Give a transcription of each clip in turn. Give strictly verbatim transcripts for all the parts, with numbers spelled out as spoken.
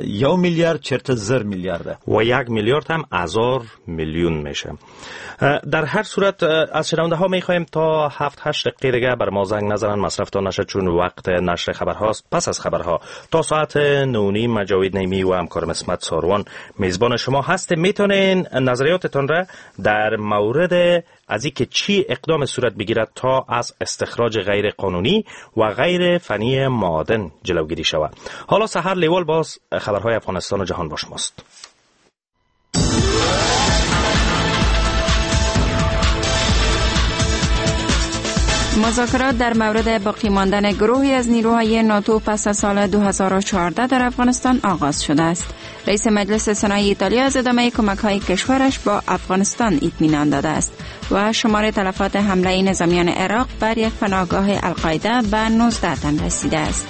یو میلیارد چرته زر میلیارده و یک میلیارد هم هزار میلیون میشه. در هر صورت از شنونده ها میخوایم تا هفت هشت دقیقه دیگه بر ما زنگ نزنن، مصرفتان نشه، چون وقت نشر خبرهاست. پس از خبرها تا ساعت نه و نیم جاوید نیمی و همکارم عصمت ساروان میزبان شما هست. میتونین نظریاتتان را در مورد از اینکه چی اقدام صورت بگیرد تا از استخراج غیر قانونی و غیر فنی معادن جلوگیری شود. حالا سحر لیوال باز خبرهای افغانستان و جهان با شماست. مذاکرات در مورد باقی ماندن گروهی از نیروهای ناتو پس از سال دو هزار و چهارده در افغانستان آغاز شده است. رئیس مجلس سنای ایتالیا از ادامه کمک‌های کشورش با افغانستان اطمینان داده است و شمار تلفات حمله نظامیان عراق بر یک پناهگاه القاعده به نوزده تن رسیده است.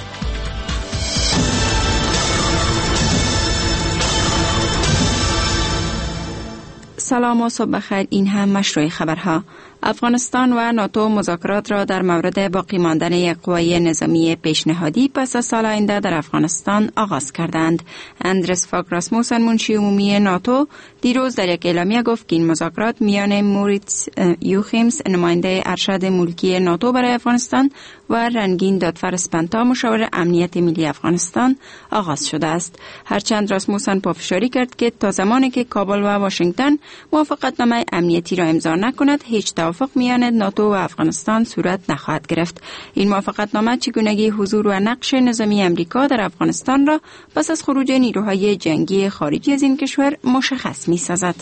سلام و صبح بخیر، این هم مشروع خبرها. افغانستان و ناتو مذاکرات را در مورد باقی ماندن یک قوای نظامی پیشنهادی پس از سال آینده در افغانستان آغاز کردند. اندرس فاک راسموسن منشی عمومی ناتو دیروز در یک اعلامیه گفت که این مذاکرات میان موریتس یوخیمس نماینده ارشد ملکی ناتو برای افغانستان و رنگین دادفر اسپنتا مشاور امنیت ملی افغانستان آغاز شده است. هرچند راسموسن پافشاری کرد که تا زمانی که کابل و واشنگتن موافقتنامه امنیتی را امضا نکند هیچ توافق میان ناتو و افغانستان صورت نخواهد گرفت. این موافقتنامه چگونگی حضور و نقش نظامی امریکا در افغانستان را پس از خروج نیروهای جنگی خارجی از این کشور مشخص می سازد.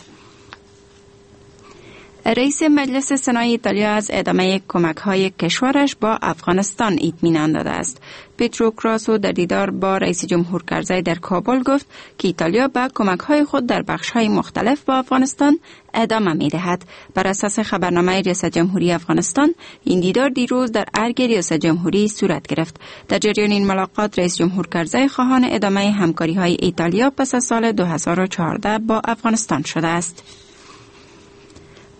رئیس مجلس سنای ایتالیا از ادامه کمک‌های کشورش با افغانستان اطمینان داده است. پترو کراسو در دیدار با رئیس جمهور کرزی در کابل گفت که ایتالیا به کمک‌های خود در بخش‌های مختلف با افغانستان ادامه می‌دهد. بر اساس خبرنامه ریاست جمهوری افغانستان، این دیدار دیروز در ارگ ریاست جمهوری صورت گرفت. در جریان این ملاقات رئیس جمهور کرزی خواهان ادامه همکاری‌های ایتالیا پس از سال دو هزار و چهارده با افغانستان شده است.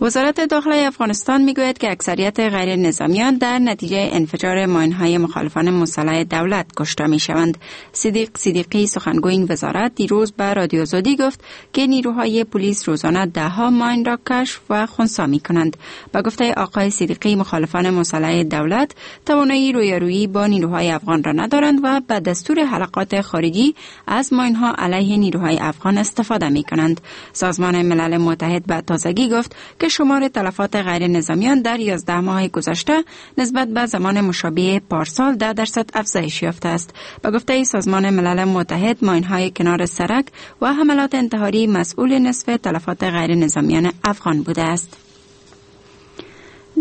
وزارت داخله افغانستان میگوید که اکثریت غیر نظامیان در نتیجه انفجار ماین‌های مخالفان مسلح دولت کشته میشوند. صدیق صدیقی سخنگوی این وزارت دیروز به رادیو آزادی گفت که نیروهای پلیس روزانه ده‌ها ماین را کشف و خنثی میکنند. به گفته آقای صدیقی مخالفان مسلح دولت توانایی رویارویی با نیروهای افغان را ندارند و به دستور حلقات خارجی از ماین‌ها علیه نیروهای افغان استفاده میکنند. سازمان ملل متحد به تازگی گفت که شمار تلفات غیر نظامیان در یازده ماه گذشته نسبت به زمان مشابه پارسال ده درصد افزایش یافته است. به گفته سازمان ملل متحد ماین‌های کنار سرک و حملات انتحاری مسئول نصف تلفات غیر نظامیان افغان بوده است.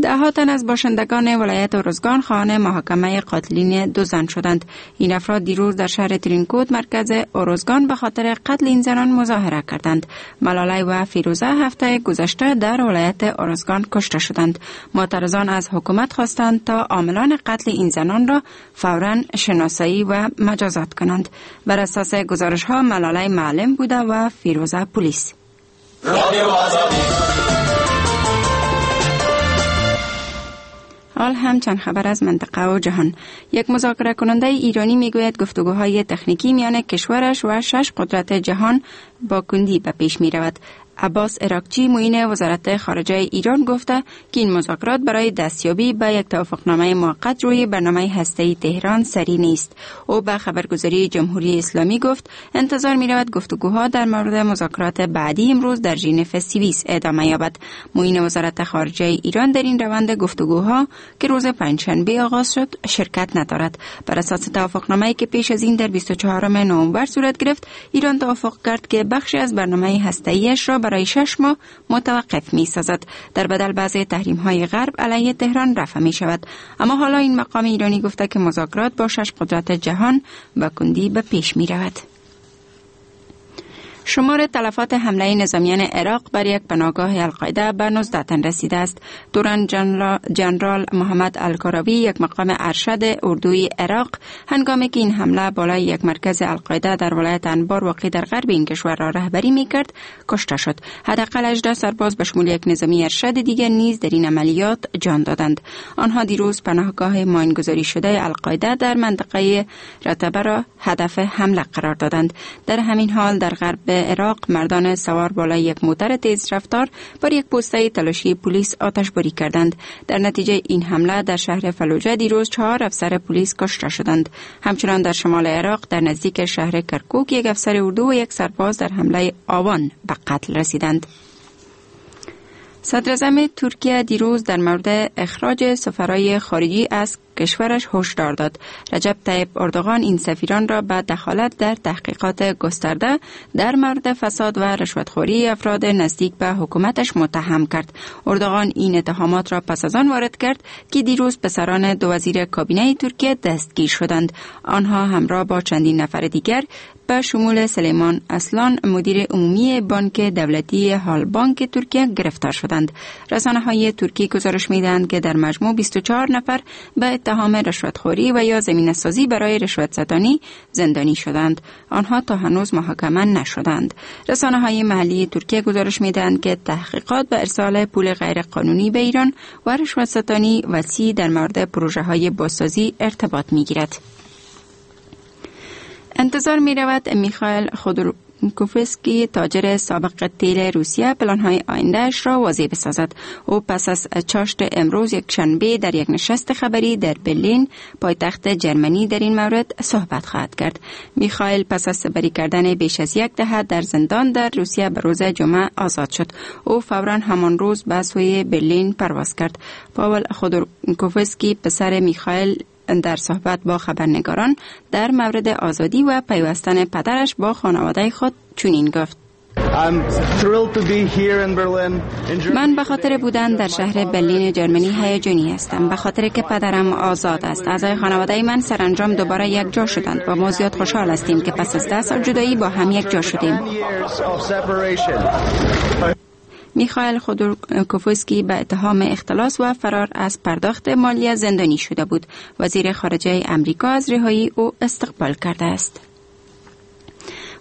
ده تن از باشندگان ولایت ارزگان خواهان محاکمه قاتلین دو زن شدند. این افراد دیروز در شهر ترینکوت مرکز ارزگان به خاطر قتل این زنان مظاهره کردند. ملاله و فیروزه هفته گذشته در ولایت ارزگان کشته شدند. معترضان از حکومت خواستند تا عاملان قتل این زنان را فوراً شناسایی و مجازات کنند. بر اساس گزارش ها ملاله معلم بوده و فیروزه پلیس. حال هم چند خبر از منطقه و جهان. یک مذاکره کننده ایرانی میگوید گفتگوهای تکنیکی میان کشورش و شش قدرت جهان با کندی به پیش می رود. عباس عراقچی معین وزارت خارجه ایران گفته که این مذاکرات برای دستیابی به یک توافقنامه موقت روی برنامه هسته‌ای تهران سری نیست. او به خبرگزاری جمهوری اسلامی گفت انتظار می‌رود گفتگوها در مورد مذاکرات بعدی امروز در ژنو سوئیس ادامه یابد. معین وزارت خارجه ایران در این روند گفتگوها که روز پنجشنبه آغاز شد شرکت ندارد. بر اساس توافقنامه‌ای که پیش از این در بیست و چهارم نوامبر صورت گرفت، ایران توافق کرد که بخشی از برنامه هسته‌ایش را برای شش ماه متوقف می سازد. در بدل بعضی تحریم های غرب علیه تهران رفع می شود. اما حالا این مقام ایرانی گفته که مذاکرات با شش قدرت جهان با کندی به پیش می رود. شمار تلفات حمله نظامیان عراق بر یک پناهگاه القاعده به نوزده تن رسیده است. توران جنرال محمد الکاراوی، یک مقام ارشد اردوی عراق، هنگامی که این حمله بالای یک مرکز القاعده در ولایت انبار واقع در غرب این کشور را رهبری می‌کرد، کشته شد. حداقل هجده سرباز به شمول یک نظامی ارشد دیگر نیز در این عملیات جان دادند. آنها دیروز پناهگاه ماینگذاری شده القاعده در منطقه رتبه را هدف حمله قرار دادند. در همین حال در غرب عراق مردان سوار بالای یک موتر تیز رفتار بر یک پوسته تلاشی پلیس آتش باری کردند. در نتیجه این حمله در شهر فلوجه دیروز چهار افسر پلیس کشته شدند. همچنان در شمال عراق در نزدیک شهر کرکوک یک افسر اردو و یک سرباز در حمله آوان به قتل رسیدند. صدراعظم ترکیه دیروز در مورد اخراج سفرای خارجی از کشورش هشدار داد. رجب طیب اردوغان این سفیران را به دخالت در تحقیقات گسترده در مورد فساد و رشوتخوری افراد نزدیک به حکومتش متهم کرد. اردوغان این اتهامات را پس از آن وارد کرد که دیروز پسران دو وزیر کابینه ترکیه دستگیر شدند. آنها همراه با چندین نفر دیگر به شمول سلیمان اصلان، مدیر عمومی بانک دولتی هال بانک ترکیه گرفتار شدند. رسانه‌های ترکی گزارش می‌دهند که در مجموع بیست و چهار نفر به اتهام رشوتخوری و یا زمینه‌سازی برای رشوت ستانی زندانی شدند. آنها تا هنوز محاکمه نشدند. رسانه‌های محلی ترکیه گزارش می‌دهند که تحقیقات به ارسال پول غیرقانونی به ایران و رشوت ستانی وسیع در مورد پروژه‌های بازسازی ارتباط می‌گیرد. انتظار می رود میخائیل خودورکوفسکی، تاجر سابق تیل روسیه، پلان‌های آینده‌اش را واضح بسازد. او پس از چاشت امروز یک شنبه در یک نشست خبری در برلین، پایتخت جرمنی، در این مورد صحبت خواهد کرد. میخائیل پس از سپری کردن بیش از یک دهه در زندان در روسیه به روز جمعه آزاد شد. او فوراً همان روز به سوی برلین پرواز کرد. پاول خودورکوفسکی، پسر میخائیل، در صحبت با خبرنگاران در مورد آزادی و پیوستن پدرش با خانواده خود چنین گفت: من به خاطر بودن در شهر برلین جرمنی هیجانی هستم، به خاطر که پدرم آزاد است. اعضای خانواده من سرانجام دوباره یک جا شدند و ما زیاد خوشحال هستیم که پس از ده سال جدایی با هم یک جا شدیم. میخائیل خودورکوفسکی به اتهام اختلاس و فرار از پرداخت مالیه زندانی شده بود. وزیر خارجه امریکا از رهایی او استقبال کرده است.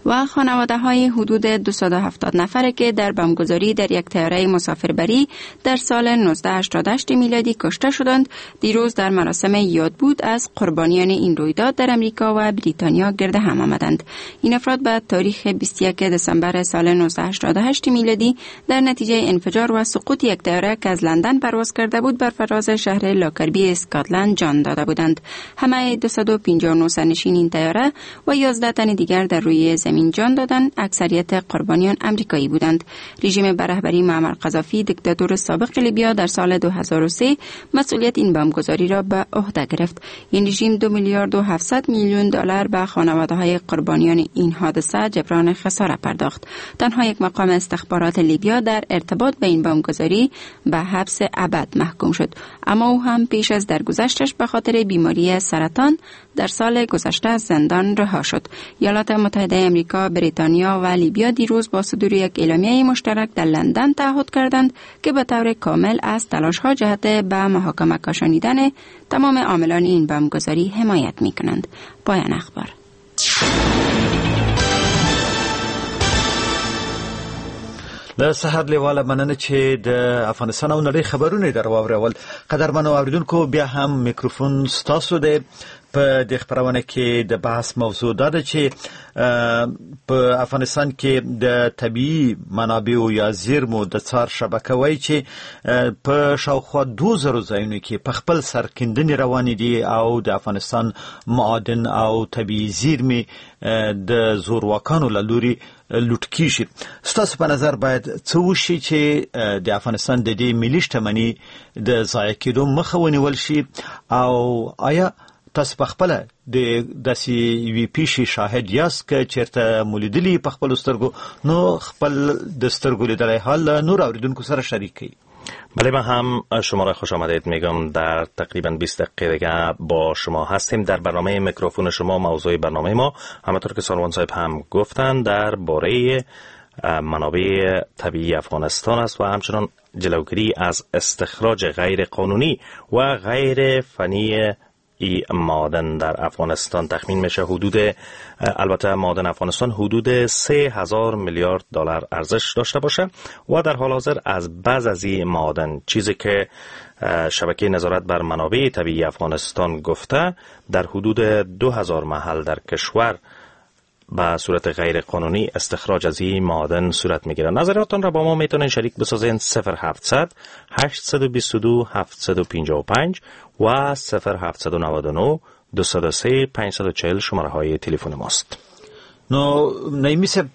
و خانواده های حدود دویست و هفتاد نفر که در بمبگذاری در یک طیاره مسافربری در سال هزار و نهصد و هشتاد و هشت میلادی کشته شدند، دیروز در مراسم یادبود از قربانیان این رویداد در امریکا و بریتانیا گرد هم آمدند. این افراد به تاریخ بیست و یکم دسامبر سال هزار و نهصد و هشتاد و هشت میلادی در نتیجه انفجار و سقوط یک طیاره که از لندن پرواز کرده بود بر فراز شهر لاکربی اسکاتلند جان داده بودند. همه دویست و پنجاه و نه سرنشین این طیاره و یازده تن دیگر در روی زمین جان دادند. اکثریت قربانیان امریکایی بودند. رژیم به رهبری معمر قذافی، دیکتاتور سابق لیبیا، در سال دو هزار و سه مسئولیت این بمبگذاری را به عهده گرفت. این رژیم دو میلیارد و هفتصد میلیون دلار به خانواده‌های قربانیان این حادثه جبران خساره پرداخت. تنها یک مقام استخبارات لیبیا در ارتباط به این بمبگذاری به حبس ابد محکوم شد، اما او هم پیش از درگذشتش به خاطر بیماری سرطان در سال گذشته از زندان رها شد. ایالات متحده امریکا، بریتانیا و لیبیا دیروز با صدور یک اعلامیه مشترک در لندن تعهد کردند که به طور کامل از تلاش‌ها جهت به محاکمه کشانیدن تمام عاملان این بمبگذاری حمایت می‌کنند. پایان اخبار. د سحر لیواله مننه چې د افغانستان او نړۍ خبرونه در واورول. قدرمنو اوریدونکو، بیا هم میکروفون ستاسو دی. په دې خپرونه کې د بحث موضوع دا ده چې په افغانستان کې د طبیعي منابعو یا زیرمو د څار شبکه وایي چې په شاوخوا دوه زرو ځایونو کې په خپل سر کیندنې روانې دي او د افغانستان معادن او طبیعي زیرمې د زورواکانو له لوري لوټ کیږي. ستاسو په نظر باید څه وشي چې د افغانستان د دې ملي شتمني د ضایع کېدو مخه ونیول شي؟ او آیا تاسو په خپله د داسې یوې پیښې شاهد یاست که چېرته مو لیدلي په خپلو سترګو؟ نو خپل د سترګو لیدلی حال له نورو اورېدونکو سره شریک کړئ. بله، من هم شما را خوش آمدید میگم. در تقریبا بیست دقیقه دیگه با شما هستیم در برنامه میکروفون شما. موضوع برنامه ما همانطور که ساروان صاحب هم گفتن درباره منابع طبیعی افغانستان است و همچنان جلوگیری از استخراج غیر قانونی و غیر فنی ای معادن در افغانستان. تخمین میشه حدود، البته معادن افغانستان حدود سه هزار میلیارد دلار ارزش داشته باشه و در حال حاضر از بعض از این معادن، چیزی که شبکه نظارت بر منابع طبیعی افغانستان گفته، در حدود دو هزار محل در کشور به صورت غیر قانونی استخراج از این معادن صورت میگیره. نظراتتان را با ما میتونین شریک بسازین. صفر هفتصد هشتصد و بیست و دو هفتصد و پنجاه و پنج و صفر هفتصد و نود و نه دویست و سه پانصد و چهل شماره های تلفن ماست. نو نعیمي صاحب،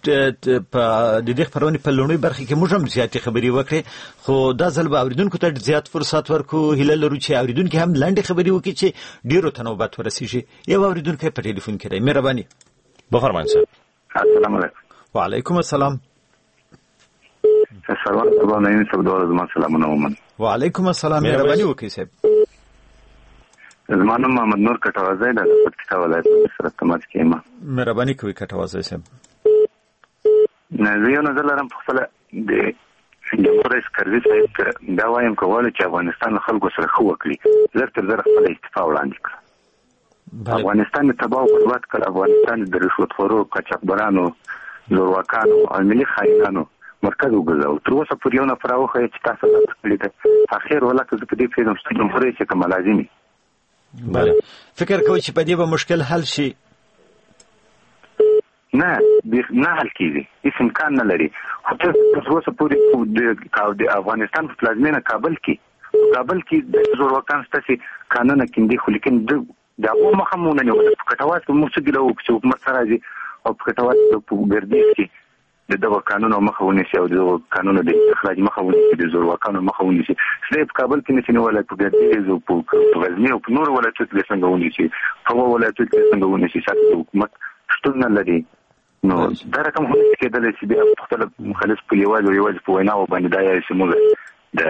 په د دې خپرونې په لومړۍ برخې کې موږ هم زیاتې خبرې وکړې، خو دا ځل به اورېدونکو ته زیات فرصت ورکړو. هیله لرو چې اورېدونکي هم لنډې خبرې وکړي چې ډېرو ته نوبت ورسېږي. یو اورېدونکی په ټلیفون کې دی. مهرباني. بفرمایئ صاحب. السلام علیکم. وعلیکم السلام. سلام صاحب، نعیمي صاحب دواړه زما سلامونه ومنئ. وعلیکم السلام. مهرباني وکړئ صاحب. زما نوم محمد نور کټوازی دی، د پکتیکا ولایت سره تماس کې یم. مهرباني کوئ کټوازی صاحب. نه، زه یو نظر لرم په خپله د جمهور رئیس کرزي صاحب ته دا وایم که غواړي چې افغانستان له خلکو سره ښه وکړي، لږ تر لږه خپله استعفا وړاندې کړه. افغانستان یې تباه او برباد کړ. افغانستان د رشوتخورو، قاچاقبرانو، زورواکانو او ملي خاینانو مرکز وګرځاوه. تر اوسه پورې یو نفر راوښیه چې تاسو دا څه کړي ده. اخر ولا که زه په دې پوهېږم چې جمهور رئیس یې که ملازم وي. بله، فکر کوئ چې په دې به مشکل حل شي؟ نه، نه حل کېږي، هېڅ امکان نه لري. خو تر اوسه پورې د افغانستان په پلازمېنه کابل کې، کابل کې د زورواکان شته چې کانونه کیندي، خو لیکن د د هغو مخه مو ونه نیوله. په کټواز کې موږ څه ګیله وکړو چې حکومت څه راځي او په کټواز کې په ګردیز کې د دغو کانونو مخه ونیسي او د دغو کانونو د استخراج مخه ونیسي، د زورواکانو مخه ونیسي. څه یې په کابل کې نشي نیولی، په ګردیز او په غزني او په نورو ولایتونو کې څنګه ونیسي، په هغو ولایتونو کې څنګه ونیسي چې د حکومت شتون نه لري. نو دا رقم هم نشي کېدلی چې بیا په خپله خالص په یوازې او یوازې په ویناوو باندې دا یې چې موږ د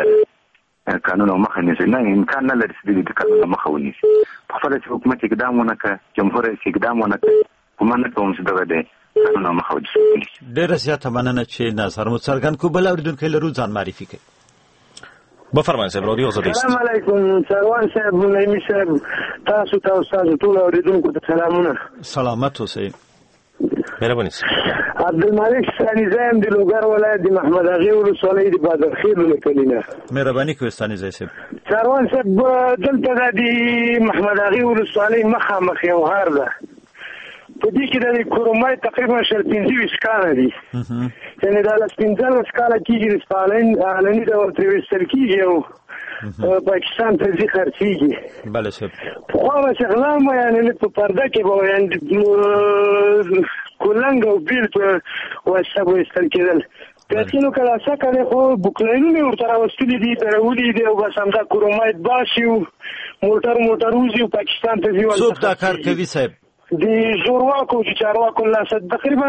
کانونو مخه نیسي. نه، امکان نه لري چې دوی د کانونو مخه ونیسي. په خپله چې حکومت اقدام ونه کړ، جمهور رئیس اقدام ونه کړ، ګمان نه کوم چې دغه دی کانونو مخه ونیسي. ډېره زیاته مننه چې نظر مو څرګند کړو. بل اورېدونکی لرو، ځان معرفي کړئ. بفرمایئ صاحب، رادیو آزادي است. سلام علیکم سروان صاحب، نعیمي صاحب، تاسو ته او ستاسو ټولو اورېدونکو ته سلامونه. سلامت اوسئ. مهرباني. عبدالمالک ستانیزی یم، د لوګر ولایت د محمد اغې ولسوالۍ د بادرخېلو له کلي نه. مهرباني کوئ ستانیزی صاحب. سروان صاحب، دلته دا د محمد اغې ولسوالۍ مخامخ یو غر ده، په دې کې د کرومای تقریبا شل پنځه ویشت کاله دي، یعنې دا لس پنځلس کاله کېږي د علني ډول ترې ویستل کېږي او پاکستان ته ځي خرڅېږي. بله صاحب. پخوا به چې غلا وه، یعنې لږ په پرده کې به وه، یعنې کولنګ او بیل په واسطه به ویستل کېدل. پیسې که لاسه کړې خو بوکلینونه یې ورته راوستلي دي، درولي دي او بس همدا کرومایت باسي او موټر موټر وځي او پاکستان ته ځي. څوک دا کار کوي صاحب؟ د زورواکو چې چارواکو له لاسه. تقریبا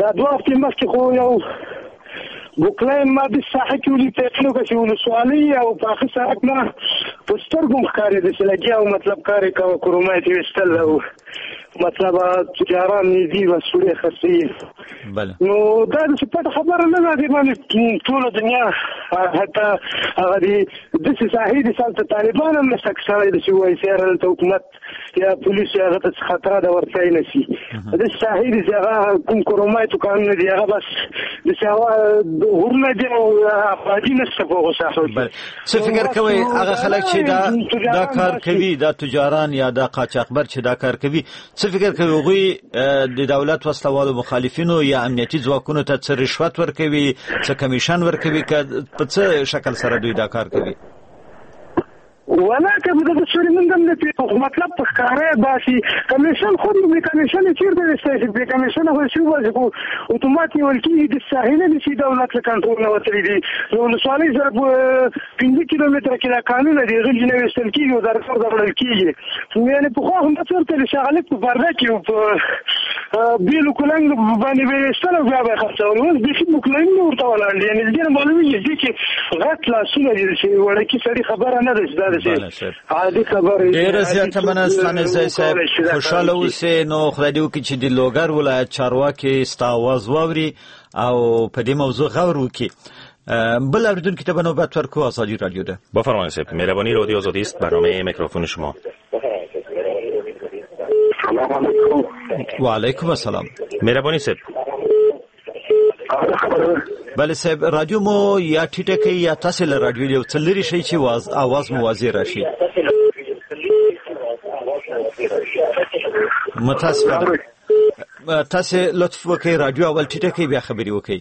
دا دوه هفتې مخکې خو یو بوکلین ما د ساحه کې ولید، یقین وکړه چې ولسوالۍ او پاخه سړک ما په سترګو هم ښکارېده چې لګیا و، مطلب کار یې کاوه، کرومایت یې ویستل او مطلب تجاران نږدې بس وړې خرڅوي. نو دا داسې پټه خبره نه ده، دې باندې ټوله دنیا حتی هغه د داسې ساحې دي چې هلته طالبان هم نشته که سړی داسې ووایي چې یاره دلته حکومت یا پولیس یا هغه ته څه خطره ده ورتلای نه شي. داسې ساحې دي چې هغه کوم کرومایتو کانونه دي، هغه بس داسې هوا غرونه دي او آبادي نشته په هغو ساحو کې. څه فکر کوئ هغه خلک چې دا دا کار کوي، دا تجاران یا دا قاچاقبر چې دا کار کوي، څه فکر کوي هغوی د دولت وسلهوالو مخالفینو یا امنیتي ځواکونو ته څه رشوت ورکوي، څه کمیشن ورکوي، که په څه شکل سره دوی دا کار کوي؟ ولا که دغه سوري موږ هم نه پوهېږو، خو مطلب په ښکاره یې باسي. کمیشن خو بې کمیشن یې چېرته ویستی شي؟ بې کمیشنه خو یې څه وباسي، خو اتومات نیول کېږي. د ساحې نه دي چې دولت له کنټرول نه وتلي دي. د ولسوالۍ سره په پنځه کیلومتره کې دا کانونه دي، غلي نه ویستل کېږي او درکار وړل کېږي. یعنې پخوا هم دا څه ورته د شغلک په پرده کې په بیلو کلنګ باندې به ایستل او بیا به یې خرڅول. اوس بیخي بوکلنګ ورته ولاړ دي، یعنې دې نه معلومېږي دې کې غټ لاسونه دي چې وړکي سړي خبره نه ده چې دا داسې عادي خبره. ډېره زیاته مننه ستانکزی صاحب، خوشحاله اوسې. نو خدای دې وکړي چې د لوګر ولایت چارواکي ستا اواز واوري او په دې موضوع غور وکړي. بل اوریدونکي ته به نوبت ورکړو. ازادي رادیو ده. بفرمایید صاحب. مهربانی رادیو آزادی است، برنامه میکروفون شما. سلام علیکم. و علیکم السلام. مهربانی صاحب. بله صاحب، رادیو مو یا ټیټه کړئ یا تاسې له رادیو یو څه لرې شئ چې اواز مو واضح راشي. متاسفانه تاسې لطف وکړئ، رادیو اول ټیټه کړئ بیا خبرې وکړئ.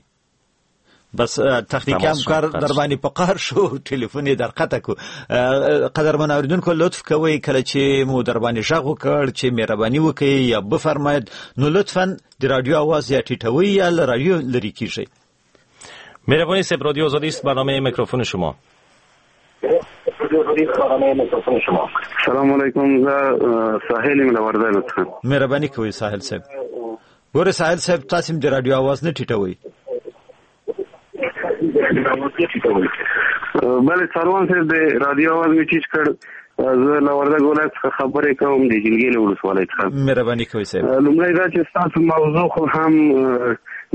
بس تخنیکی همکار در باندې په قهر شو، ټلیفون یې در قطع کو. قدرمن اوریدونکو لطف کوئ، کله چې مو در باندې غږ وکړ چې مهرباني وکړئ یا بفرمایید، نو لطفاً د رادیو اواز یا ټیټوئ یا له رادیو لرې کیږئ. مهربانی صاحب، رادیو آزادی است، برنامه میکروفون شما. سلام علیکم، زه ساحل یم له وردګو څخه. مهرباني کوئ ساحل صاحب. ګورئ ساحل صاحب، تاسې هم د رادیو اواز نه ټیټوئ. بله څاروان صاحب، د رادیو اواز مې ټیټ کړ. زه له وردګ ولایت څخه خبرې کوم، د جلګې له ولسوالۍ څخه. مهرباني کوئ صاحب. لومړی دا چې ستاسو موضوع خو هم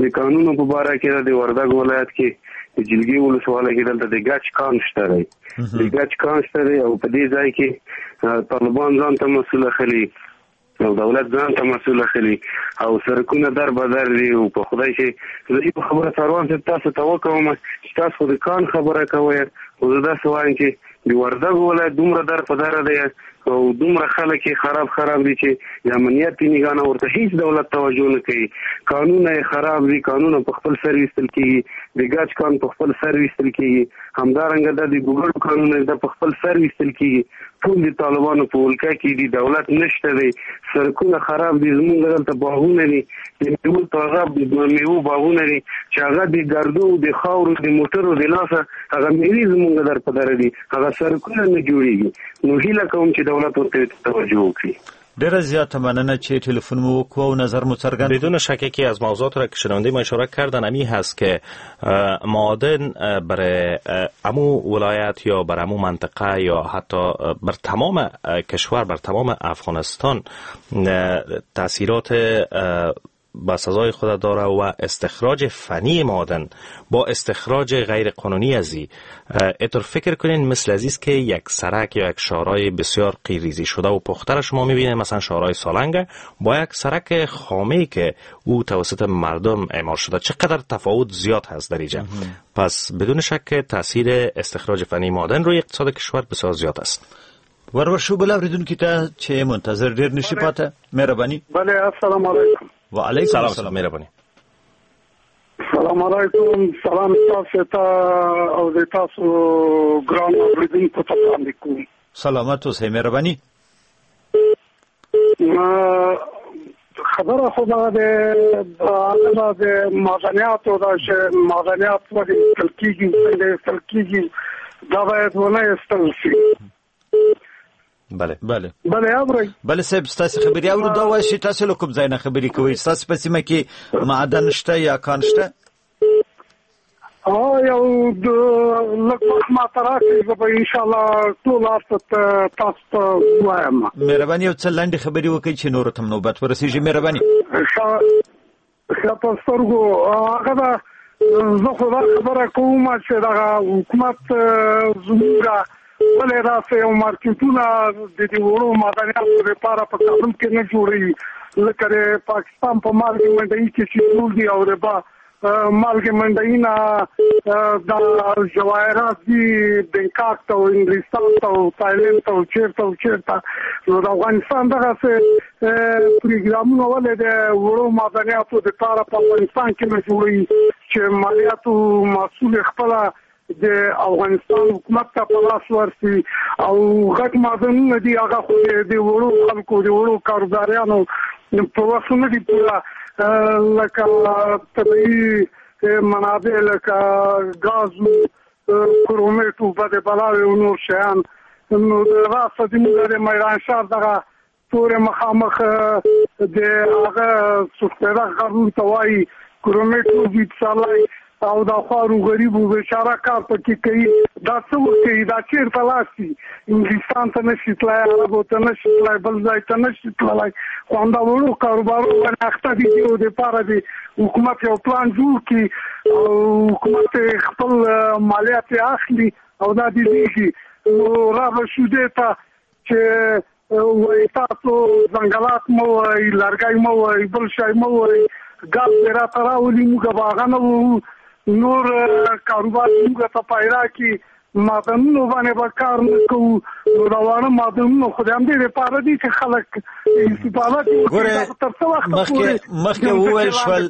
د کانونو په باره کې ده. د وردګ ولایت کې د جلګې ولسوالۍ کې دلته د ګچ کان شته دی، د ګچ کان شته دی او په دې ځای کې طالبان ځان ته مسؤل اخلي او دولت ځان ته مسؤل اخلي او سرکونه در بدر دي. او په خدای چې زه یو خبره څاروان صاحب تاسو ته وکوم چې تاسو خو د کان خبره کوئ، خو زه داسې وایم چې د وردګو ولایت دومره در په دره دی او دومره خلک یې خراب خراب دي چې د امنیت نگاه نه ورته هیڅ دولت توجه نه کوي. کانونه یې خراب دي، کانونه په خپل سر ویستل کېږي، د ګچ کان په خپل سر ویستل کېږي، همدارنګه د ګوګړو کانونه د په خپل سر ویستل کېږي. ټول د طالبانو په ولکه کې دي، دولت نشته دی، سرکونه خراب دي. زمونږ دلته باغونه دي، د میوو تازه میوو باغونه دي چې هغه د ګردو د خاورو د موټرو د لاسه هغه میوې زمونږ در په دره دي، هغه سرکونه نه جوړېږي. نو هیله کوم چې دولت ورته توجه وکړي. ډیره زیاته مننه چې تلفن مو وکړو او نظر مو څرګند. بدون شک یکی از موضوعات را که شنونده ما اشاره کردن امی هست که معادن برای امو ولایت یا بر امو منطقه یا حتی بر تمام کشور، بر تمام افغانستان تاثیرات با سزای خود داره و استخراج فنی معادن با استخراج غیر قانونی ازی اتر فکر کنین مثل ازیست که یک سرک یا یک شارای بسیار قیریزی شده و پخته را شما میبینید، مثلا شارای سالنگ با یک سرک خامه که او توسط مردم اعمار شده، چقدر تفاوت زیاد هست در اینجا. پس بدون شک تاثیر استخراج فنی معادن روی اقتصاد کشور بسیار زیاد است. ورور شو بل اوریدونکي ته چې منتظر ډیر نشي پاته. مهرباني. بله السلام علیکم. و علیکم سلام. السلام. مهرباني. سلام علیکم. سلام تاسو ته او د تاسو ګران اوریدونکو ته وړاندې کوم. سلامت اوسئ. مهرباني. خبره خو دا ده هغه د معدنیاتو دا چې معدنیات ولې ایستل کېږي، څنګه ایستل کېږي، دا باید ونه ایستل شي. بله بله بله اورئ. بله صاحب، ستاسو خبرې اورو. دا وایي چې تاسو له کوم ځای نه خبرې کوئ؟ ستاسو په سیمه کې معدن شته یا کان شته؟ ها یو لږ وخت ماته راکړئ، زه به انشاءالله ټول هر څه تاسو ته ووایم. مهرباني یو څه لنډې خبرې وکړئ چې نورو ته هم نوبت ورسېږي. مهرباني. ښه ښه په سترګو. هغه ده، زه خو دا خبره کوم چې دغه حکومت زموږ ولې داسې یو مارکیټونه د دې وړو معدنیاتو لپاره په کابل کې نه جوړوي، لکه د پاکستان په مالګې منډۍ کې چې جوړ دي او د مالګې منډۍ نه دا جواهرات دي بنکاک ته او انګلستان ته او تایلند ته او چېرته او چېرته. نو د افغانستان دغسې پروګرامونه ولې د وړو معدنیاتو لپاره په افغانستان کې نه جوړوي چې مالیاتو محصول خپله د افغانستان حکومت ته په لاس ورسي او غټ معدنونه دي هغه خو د وړو خلکو د وړو کاروباریانو په وس نه دي پوره، لکه طبیعي منابع لکه ګاز، کرومیټ، بدې بلاوې او نور شیان. نو راسه زموږ د میرانشاه دغه پورې مخامخ د هغه سپېره غرونو ته وایي کرومیټ وځي پسرلی او دا خوارو غریبو بیچاره کار پکې کوي. دا څه وکوي؟ دا چېرته لاړ شي؟ انګلستان ته نه شي تللی، عربو ته نه شي تللی، بل ځای ته نه شي تللی. خو همدا وړو کاروبارو باندې اخته دي. دیو دپاره دې حکومت یو پلان جوړ کړي او حکومت خپل مالیات یې اخلي او دا دې لېږي. نو را به شو دې ته چې وایي تاسو ځنګلات مه وایي، لرګی مه وایي، بل شی مه وایي، ګاز دې راته راولي، موږ به هغه نه وو، نور کاروبار موږ ته پیدا کړي، معدنونو باندې به کار نه کوو. نو دا واړه معدنونه خو د همدې لپاره دي چې خلک استفاده ګوره. مخکې مخکې وویل شول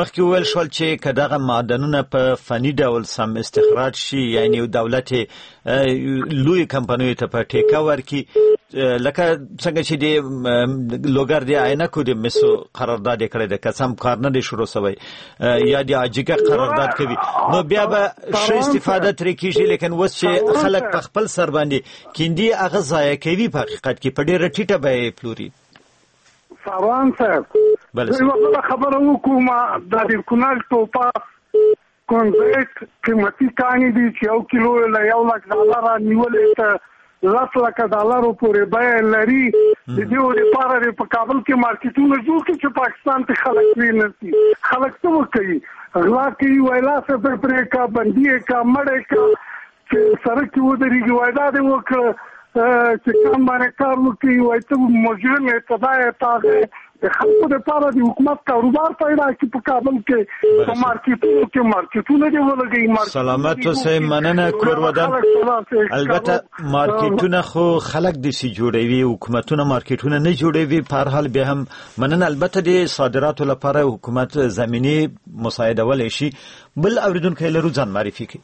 مخکې وویل شول چې که دغه معدنونه په فني ډول سم استخراج شي، یعنی دولت لوی کمپنیو ته په ټیکه ورکړي، لکه څنګه چې د لوګر د عینکو د مسو قرارداد یې کړی دی، که سم کار نه دی شروع شوی، یا د عاجیګه قرارداد کوي، نو بیا به ښه استفاده ترې کېږي. لیکن اوس چې خلک په خپل سر باندې کیندي هغه ضایع کوي، په حقیقت کې په ډېره ټیټه بیه یې پلوري. ساروان صاحب، زه یوه بله خبره وکړم. دا د کونړ ټوپاس کونزیټ قیمتي کانې دي چې یو کیلو یې له یو لک ډالره نیولې ته لس لکه ډالرو پورې بیه لري. د دې لپاره دې په کابل کې مارکیټونه جوړ کړي چې پاکستان ته خلک وینسي. خلک څه وکوي؟ غلا کوي، وایي لاس یې پرې پرې کړه، بندي یې کړه، مړ یې کړه، چې سړک کې ودرېږي وایي دا دې وکړه، چې کم باندې کار وکړي وایي ته مجرم یې، ته دا یې، ته هغه یې. د خلکو لپاره د حکومت کاروبار پیدا کړي په کابل کې، په مارکیټونو کې مارکیټونه دې ولګوي. سلامت اوسئ، مننه کور ودان. البته مارکیټونه خو خلک داسې جوړوي، حکومتونه مارکیټونه نه جوړوي. په هر حال بیا هم مننه. البته د صادراتو لپاره حکومت زمینې مساعدولی شي. بل اوریدونکی لرو، ځان معرفي کړئ.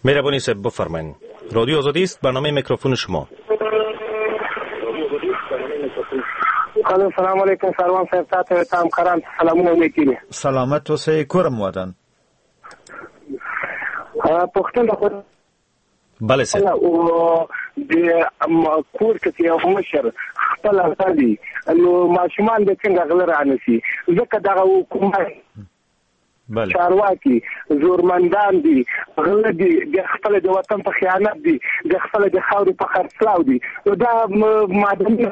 مهرباني صاحب بفرمایئ. رادیو آزادی است، برنامه میکروفون شما. الو، سلام علیکم ساروان صاحب، تاته ته همکاران سلامونه وکړي. سلامت اوسئ، کورم ودان. پوښتنه خو بله صاحب، او د کور کې یو مشر خپل غلي نو ماشومان د څنګه غله رانیسي؟ ځکه دغه حکومت چارواکي زورمندان دي، غله دي، د خپل د وطن په خیانت دي، د خپل د خاورې په خرڅلاو دي. نو دا معدني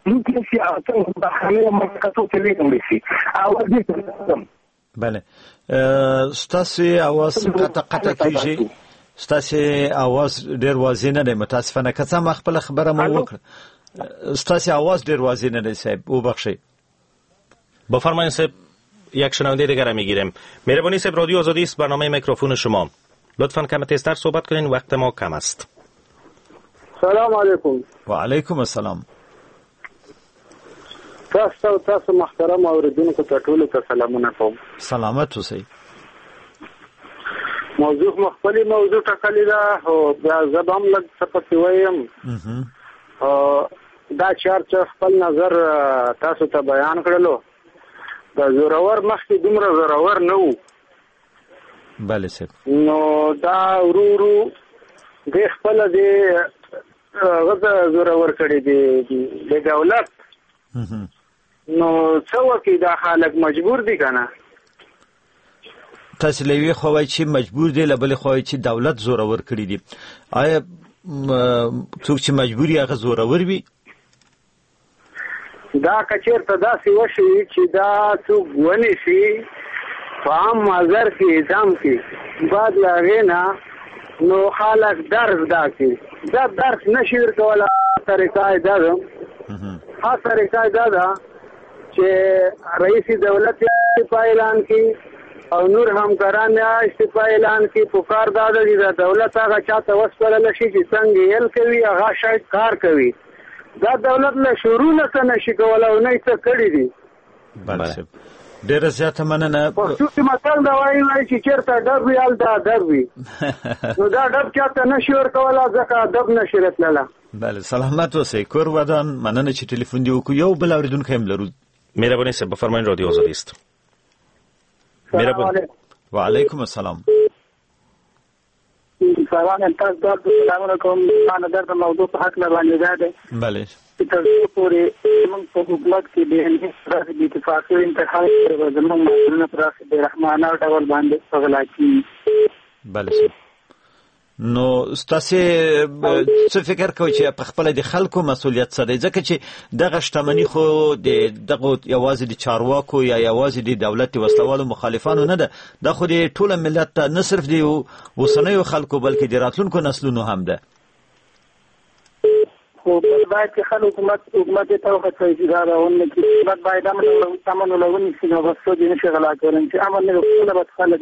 لوټ نشي او څنګه بهرنیو مملکتو ته لېږل شي. او دې بله، ستاسو اواز قطع قطع کېږي، ستاسو اواز ډېر واضح نه دی متاسفانه. که څه هم خپله خبره مو وکړه، ستاسو اواز ډېر واضح نه دی صاحب، وبخښئ. بفرمایید صاحب، یک شنونده دیگر میگیریم. مهربانی صاحب، رادیو آزادی است، برنامه میکروفون شما. لطفاً کم تیزتر صحبت کنین، وقت ما کم است. سلام علیکم. و علیکم السلام. تاسو تاسو محترم اوریدونکو ته ټولو ته سلامونه کوم. سلامت اوسئ. موضوع مو خپلې موضوع ټاکلې ده، خو بیا زه به هم لږ څه پکې وایم. دا چې هر څه خپل نظر تاسو ته بیان کړلو، دا زورور مخکې دومره زورور نه و. بله صاحب. نو دا ورو ورو دې خپله دې هغه ته زورور کړی دی د دولت. نو څه وکړي دا خلک مجبور دي که نه؟ تاسو له یوې خوا وایئ چې مجبور دي، له بلې خوا وایئ چې دولت زورور کړي دي. آیا څوک چې مجبور وي هغه زورور وي؟ دا که چېرته داسې وشي چې دا څوک ونیسي په عام محضر کې اعدام کړي، بعد له هغې نه نو خلک درس دا کړي. دا درس نه شي ورکولی. طریقه یې دا ده، ښه طریقه یې دا ده چې رئیس دولت استعفا اعلان کړي او نور همکاران یې استعفا اعلان کړي. په کار دا ده چې دا دولت هغه چا ته وسپارل شي چې څنګه یې کوي، هغه شاید کار کوي. دا دولت له شروع نه څه نشي کولی او نه یې څه کړي دي. بله صاحب، ډېره زیاته مننه. پښتو کې متل دا وایي وایي چې چېرته ډب وي هلته ادب وي. نو دا ډب چاته نشي ورکولی ځکه ادب نشي راتللی. بله، سلامت اوسئ، کور ودان. مننه چې ټلیفون دې وکړو. یو بل اورېدونکی هم لرو. مهرباني صاحب بفرمایئ، رادیو آزادی است. مهرباني. و علیکم السلام. سلام، تاسو ته سلامونه کوم. ما نظر د موضوع په هکله باندې دا دی. بله. چې تر څو پورې موږ په حکومت کې بې داسې بې اتفاقي او انتحار به زموږ معدنونه په داسې بې رحمانه ډول باندې غلا کېږي. بله صاحب، نو ستاسې څه فکر کوئ چې په خپله د خلکو مسؤلیت څه دی؟ ځکه چې دغه شتمني خو د دغو یوازې د چارواکو یا یوازې د دولت د وسلهوالو مخالفانو نه ده، دا خو د ټوله ملت ته، نه صرف د اوسنیو خلکو بلکې د راتلونکو نسلونو هم ده. خو باید چې خلک حکومت حکومت ته وهڅوي چې دا راونه کړي. حکومت باید امن امن ولونیسي، نو بس څوک یې نه شي غلا کولی چې امن نه وي، خپله بس خلک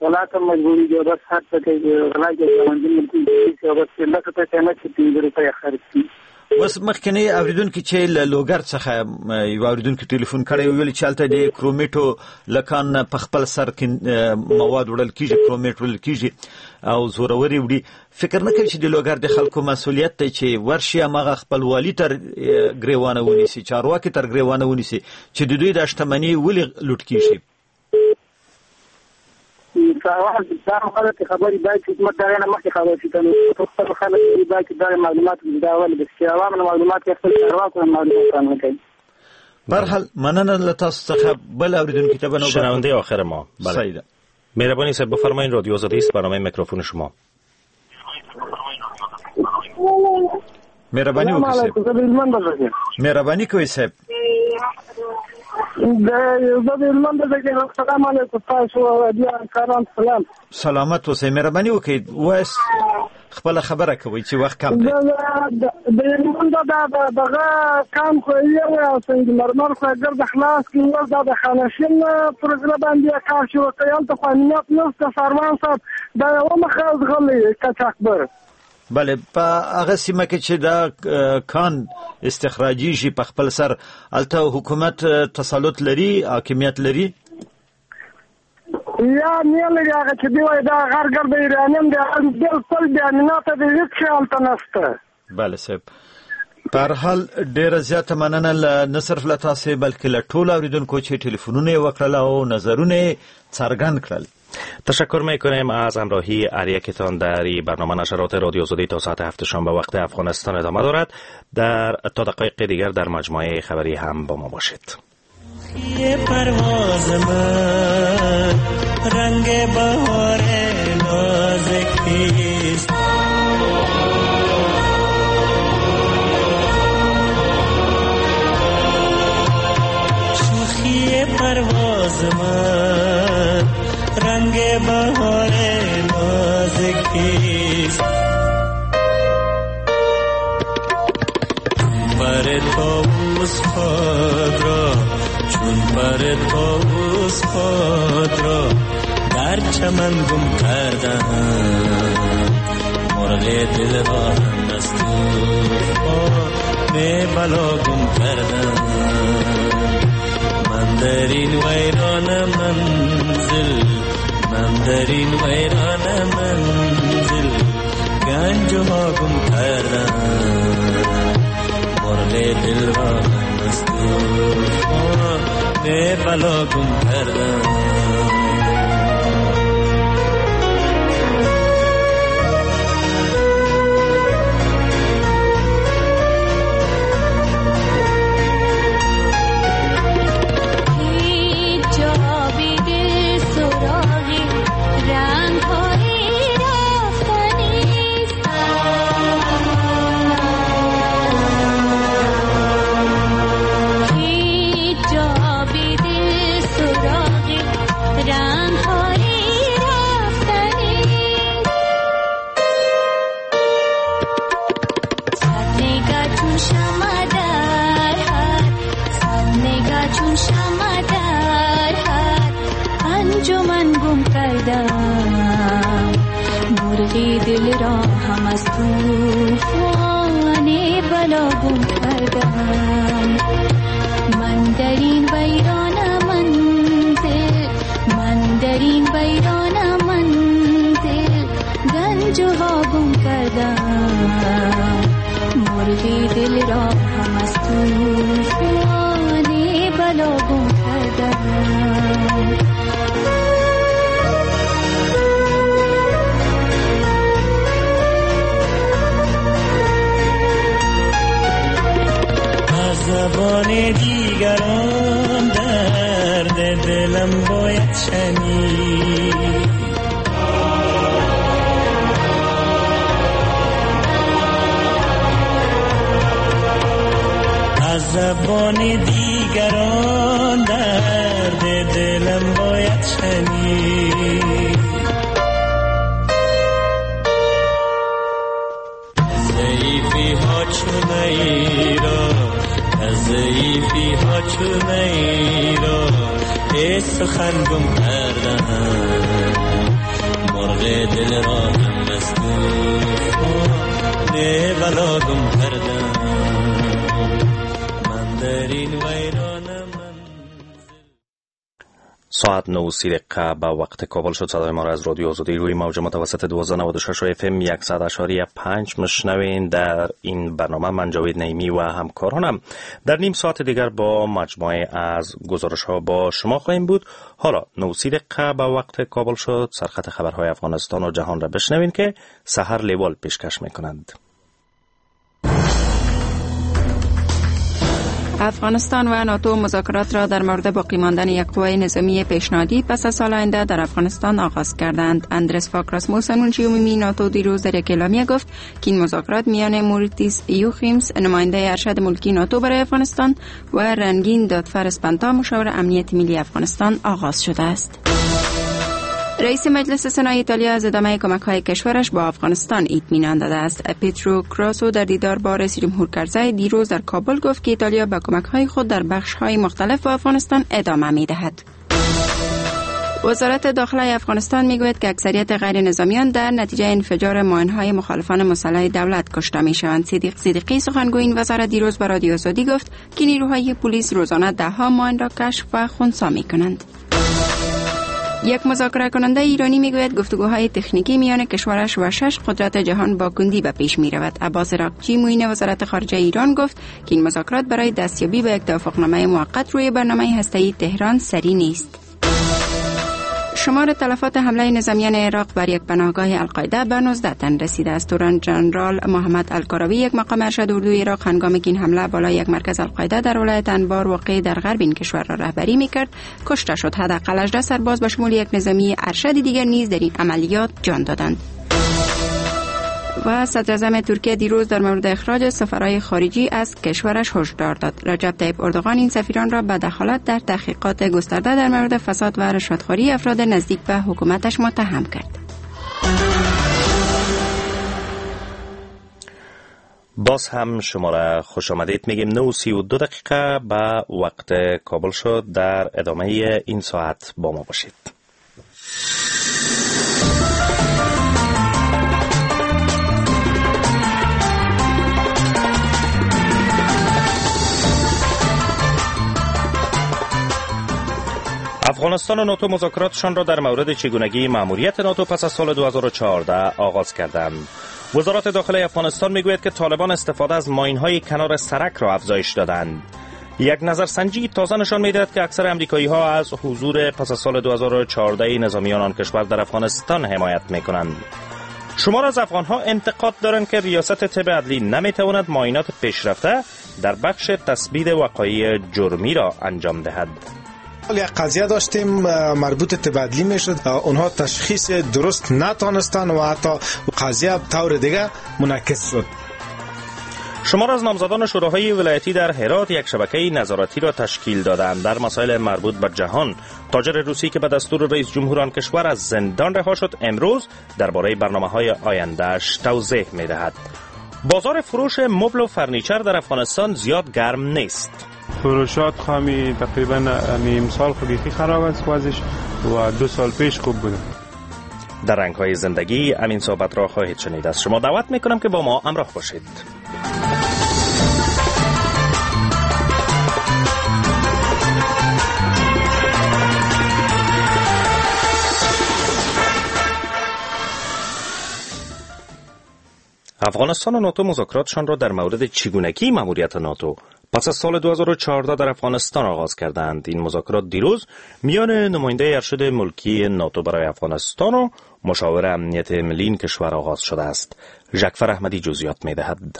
غلا ته مجبورېږي او بس هر څه کوي، غلا کوي، ګاونډي ملکونه کوي او بس لس روپۍ قیمت چې پنځه روپۍ خرڅ کړي. اوس مخکنی اوریدونکي چې له لوګر څخه یو اوریدونکي ټلیفون کړی ویل چې هلته د کرومیټو له کان په خپل سر کې مواد وړل کېږي، کرومیټ وړل کېږي او زوروري وړي. فکر نه کوي چې د لوګر د خلکو مسؤلیت دی چې ورشي هماغه خپل والي تر ګریوانه ونیسي، چارواکي تر ګریوانه ونیسي چې د دوی د شتمني ولې لوټ کېږي؟ دا غلطې خبرې باید چې حکومت دغې نه مخکې خبر شي، که نو خپل خلک باید چې دغه معلومات دا ولې بس چې عوامو نه معلومات یا خپل چارواکو نه معلومات رانه کوي. به هر حال مننه له تاسو څخه. بل اوریدونکي ته به نوبت شنونده آخر ما. بله مهربانی صاحب بفرمایید، رادیو آزادی است، برنامه میکروفون شما. مهرباني وکړئ صاحب. مهرباني کوئ صاحب. د زه د هلمند د سلام علیکم تاسو بیا کاران سلام. سلامت اوسئ، مهرباني وکړئ وایس خپله خبره کوئ چې وخت کم دی. د هلمند دا دغه کان خو یې یو او سنګ مرمر خو ګرد خلاص کړي، اوس دا د خانشین پر غره باندې کار شروع کړي، هلته خو امنیت نشته. ساروان صاحب دا یوه مخه ځغلي قاچاقبر. بله، په هغه سیمه کې چې دا کان استخراجیږي په خپل سر، هلته حکومت تسلط لري، حاکمیت لري؟ یا نه لري. هغه چې دی وایي دا غر ګرد ایرانیان دی، بالکل بې امنیته دی، هېڅ شی هلته نشته. بله صاحب، په هر حال ډېره زیاته مننه له نه صرف له تاسې بلکې له ټولو اورېدونکو چې ټلیفونونه یې وکړل او نظرونه یې څرګند کړل. تشکر میکنیم از همراهی هر یکتان در این برنامه. نشرات رادیو آزادی تا ساعت هفت شام به وقت افغانستان ادامه دارد. در تا دقایق دیگر در مجموعه خبری هم با ما باشید. پرواز من رنگ بهار نازکیست، شوخی پرواز من رنگ بهار نازکیست، پر طاووس خود را چون پر طاووس خود را در چمن گم کردم، مرغ دل را هم از طوفان بلا گم کردم. من در این ویران منزل، من در این ویران منزل گنج ها گم کردم، مرغ دل را هم از طوفان بلا گم کردم. دل را هم از طوفان بلا گم کردم، من در این ویران منزل، من در این ویران منزل گنج ها گم کردم، مرغ دل را هم از طوفان بلا گم کردم. درد دلم باید شنید. از زبان دیگران درد دلم باید شنید. ضعیفی ها چون ایرا، از ضعیفی ها چون ایرا، ای سخن گم کردم، مرغ دل را هم از توفان بلا گم کردم. من در این ویران منزل. ساعت نه و سی دقیقه به وقت کابل شد. صدای ما را از رادیو آزادی روی موج متوسط دوازده نود و شش اف ام صد و پنج مشنوین. در این برنامه من جاوید نعیمی و همکارانم در نیم ساعت دیگر با مجموعه از گزارش ها با شما خواهیم بود. حالا نه و سی دقیقه به وقت کابل شد. سرخط خبرهای افغانستان و جهان را بشنوین که سحر لیوال پیشکش میکنند. افغانستان و ناتو مذاکرات را در مورد باقی ماندن یک قوای نظامی پیشنهادی پس از سال آینده در افغانستان آغاز کردند. اندرس فاک راسموسن منشی عمومی ناتو دیروز در یک اعلامیه گفت که این مذاکرات میان موریتیس یوخیمس نماینده ارشد ملکی ناتو برای افغانستان و رنگین دادفر اسپنتا مشاور امنیت ملی افغانستان آغاز شده است. رئیس مجلس سنای ایتالیا از ادامه کمک‌های کشورش با افغانستان اطمینان داده است. پیترو کراسو در دیدار با رئیس جمهور کرزی دیروز در کابل گفت که ایتالیا به کمک‌های خود در بخش‌های مختلف با افغانستان ادامه می‌دهد. وزارت داخله افغانستان می‌گوید که اکثریت غیر نظامیان در نتیجه انفجار ماین‌های مخالفان مسلح دولت کشته می‌شوند. صدیق صدیقی سخنگوی این وزارت دیروز به رادیو آزادی گفت که نیروهای پلیس روزانه ده‌ها ماین را کشف و خنثی می‌کنند. یک مذاکره کننده ایرانی میگوید گفتگوهای تکنیکی میان کشورش و شش قدرت جهان با کندی به پیش میرود. عباس عراقچی معین وزارت خارجه ایران گفت که این مذاکرات برای دستیابی به یک توافقنامه موقت روی برنامه هسته‌ای تهران سری نیست. شمار تلفات حمله نظامیان عراق بر یک پناهگاه القاعده به نوزده تن رسیده است. توران جنرال محمد الکاراوی یک مقام ارشد اردوی عراق هنگامی که این حمله بالای یک مرکز القاعده در ولایت انبار واقع در غرب این کشور را رهبری میکرد کشته شد. حداقل هجده سرباز به شمول یک نظامی ارشد دیگر نیز در این عملیات جان دادند. و صدراعظم ترکیه دیروز در مورد اخراج سفرهای خارجی از کشورش هشدار داد. رجب طیب اردوغان این سفیران را به دخالت در تحقیقات گسترده در مورد فساد و رشوتخواری افراد نزدیک به حکومتش متهم کرد. باز هم شما را خوش آمدید میگیم. نه و سی و دو دقیقه به وقت کابل شد. در ادامه این ساعت با ما باشید. افغانستان و ناتو مذاکراتشان را در مورد چگونگی مأموریت ناتو پس از سال دو هزار و چهارده آغاز کردند. وزارت داخله افغانستان میگوید که طالبان استفاده از ماین‌های کنار سرک را افزایش دادند. یک نظرسنجی تازه نشان می‌دهد که اکثر آمریکایی‌ها از حضور پس از سال دو هزار و چهارده نظامیان آن کشور در افغانستان حمایت می‌کنند. شمار از افغان‌ها انتقاد دارند که ریاست طب عدلی نمی‌تواند معاینات پیشرفته در بخش تثبیت وقایع جرمی را انجام دهد. یک قضیه داشتیم مربوط طب عدلی میشد، اونها تشخیص درست نتانستن و حتی قضیه طور دیگه منعکس شد. شمار از نامزدان شوراهای ولایتی در هرات یک شبکه نظارتی را تشکیل دادند. در مسائل مربوط به جهان، تاجر روسی که به دستور رئیس جمهور آن کشور از زندان رها شد امروز درباره برنامه‌های آینده‌اش توضیح می‌دهد. بازار فروش مبل و فرنیچر در افغانستان زیاد گرم نیست. فروشات خامی تقریبا نیم سال خو خراب است وضعش و دو سال پیش خوب بوده. در رنگ‌های زندگی امین صحبت را خواهید شنید. از شما دعوت می‌کنم که با ما همراه باشید. افغانستان و ناتو مذاکراتشان را در مورد چگونگی مأموریت ناتو پس از سال دو هزار و چهارده در افغانستان آغاز کردند. این مذاکرات دیروز میان نماینده ارشد ملکی ناتو برای افغانستان و مشاور امنیت ملی این کشور آغاز شده است. جعفر احمدی جزئیات می‌دهد.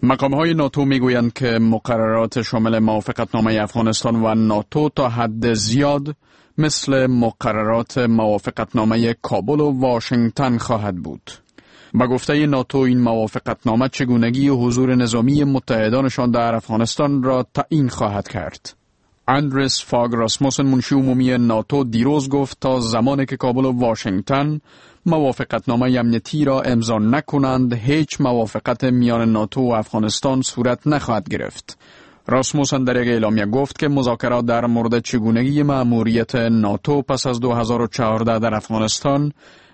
مقام‌های ناتو میگویند که مقررات شامل موافقتنامه افغانستان و ناتو تا حد زیاد مثل مقررات موافقتنامه کابل و واشنگتن خواهد بود. به گفته ناتو این موافقتنامه چگونگی حضور نظامی متحدانشان در افغانستان را تعیین خواهد کرد. اندرس فاگ راسموسن منشی عمومی ناتو دیروز گفت تا زمانی که کابل و واشنگتن موافقتنامه امنیتی را امضا نکنند هیچ موافقت میان ناتو و افغانستان صورت نخواهد گرفت. راسموسن در یک اعلامیه گفت که مذاکرات در مورد چگونگی مأموریت ناتو پس از دو هزار و چهارده در افغانستان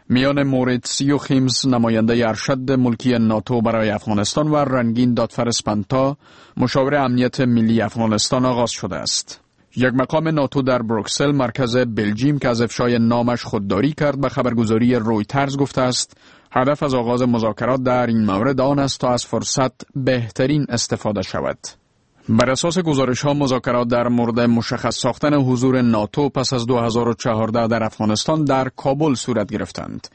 میان موریتس یوخیمز نماینده ارشد ملکی ناتو برای افغانستان و رنگین دادفر سپنتا مشاور امنیت ملی افغانستان آغاز شده است. یک مقام ناتو در بروکسل مرکز بلژیم که از افشای نامش خودداری کرد به خبرگزاری رویترز گفته است هدف از آغاز مذاکرات در این مورد آن است تا از فرصت بهترین استفاده شود. بر اساس گزارش ها مذاکرات در مورد مشخص ساختن حضور ناتو پس از دو هزار و چهارده در افغانستان در کابل صورت گرفتند.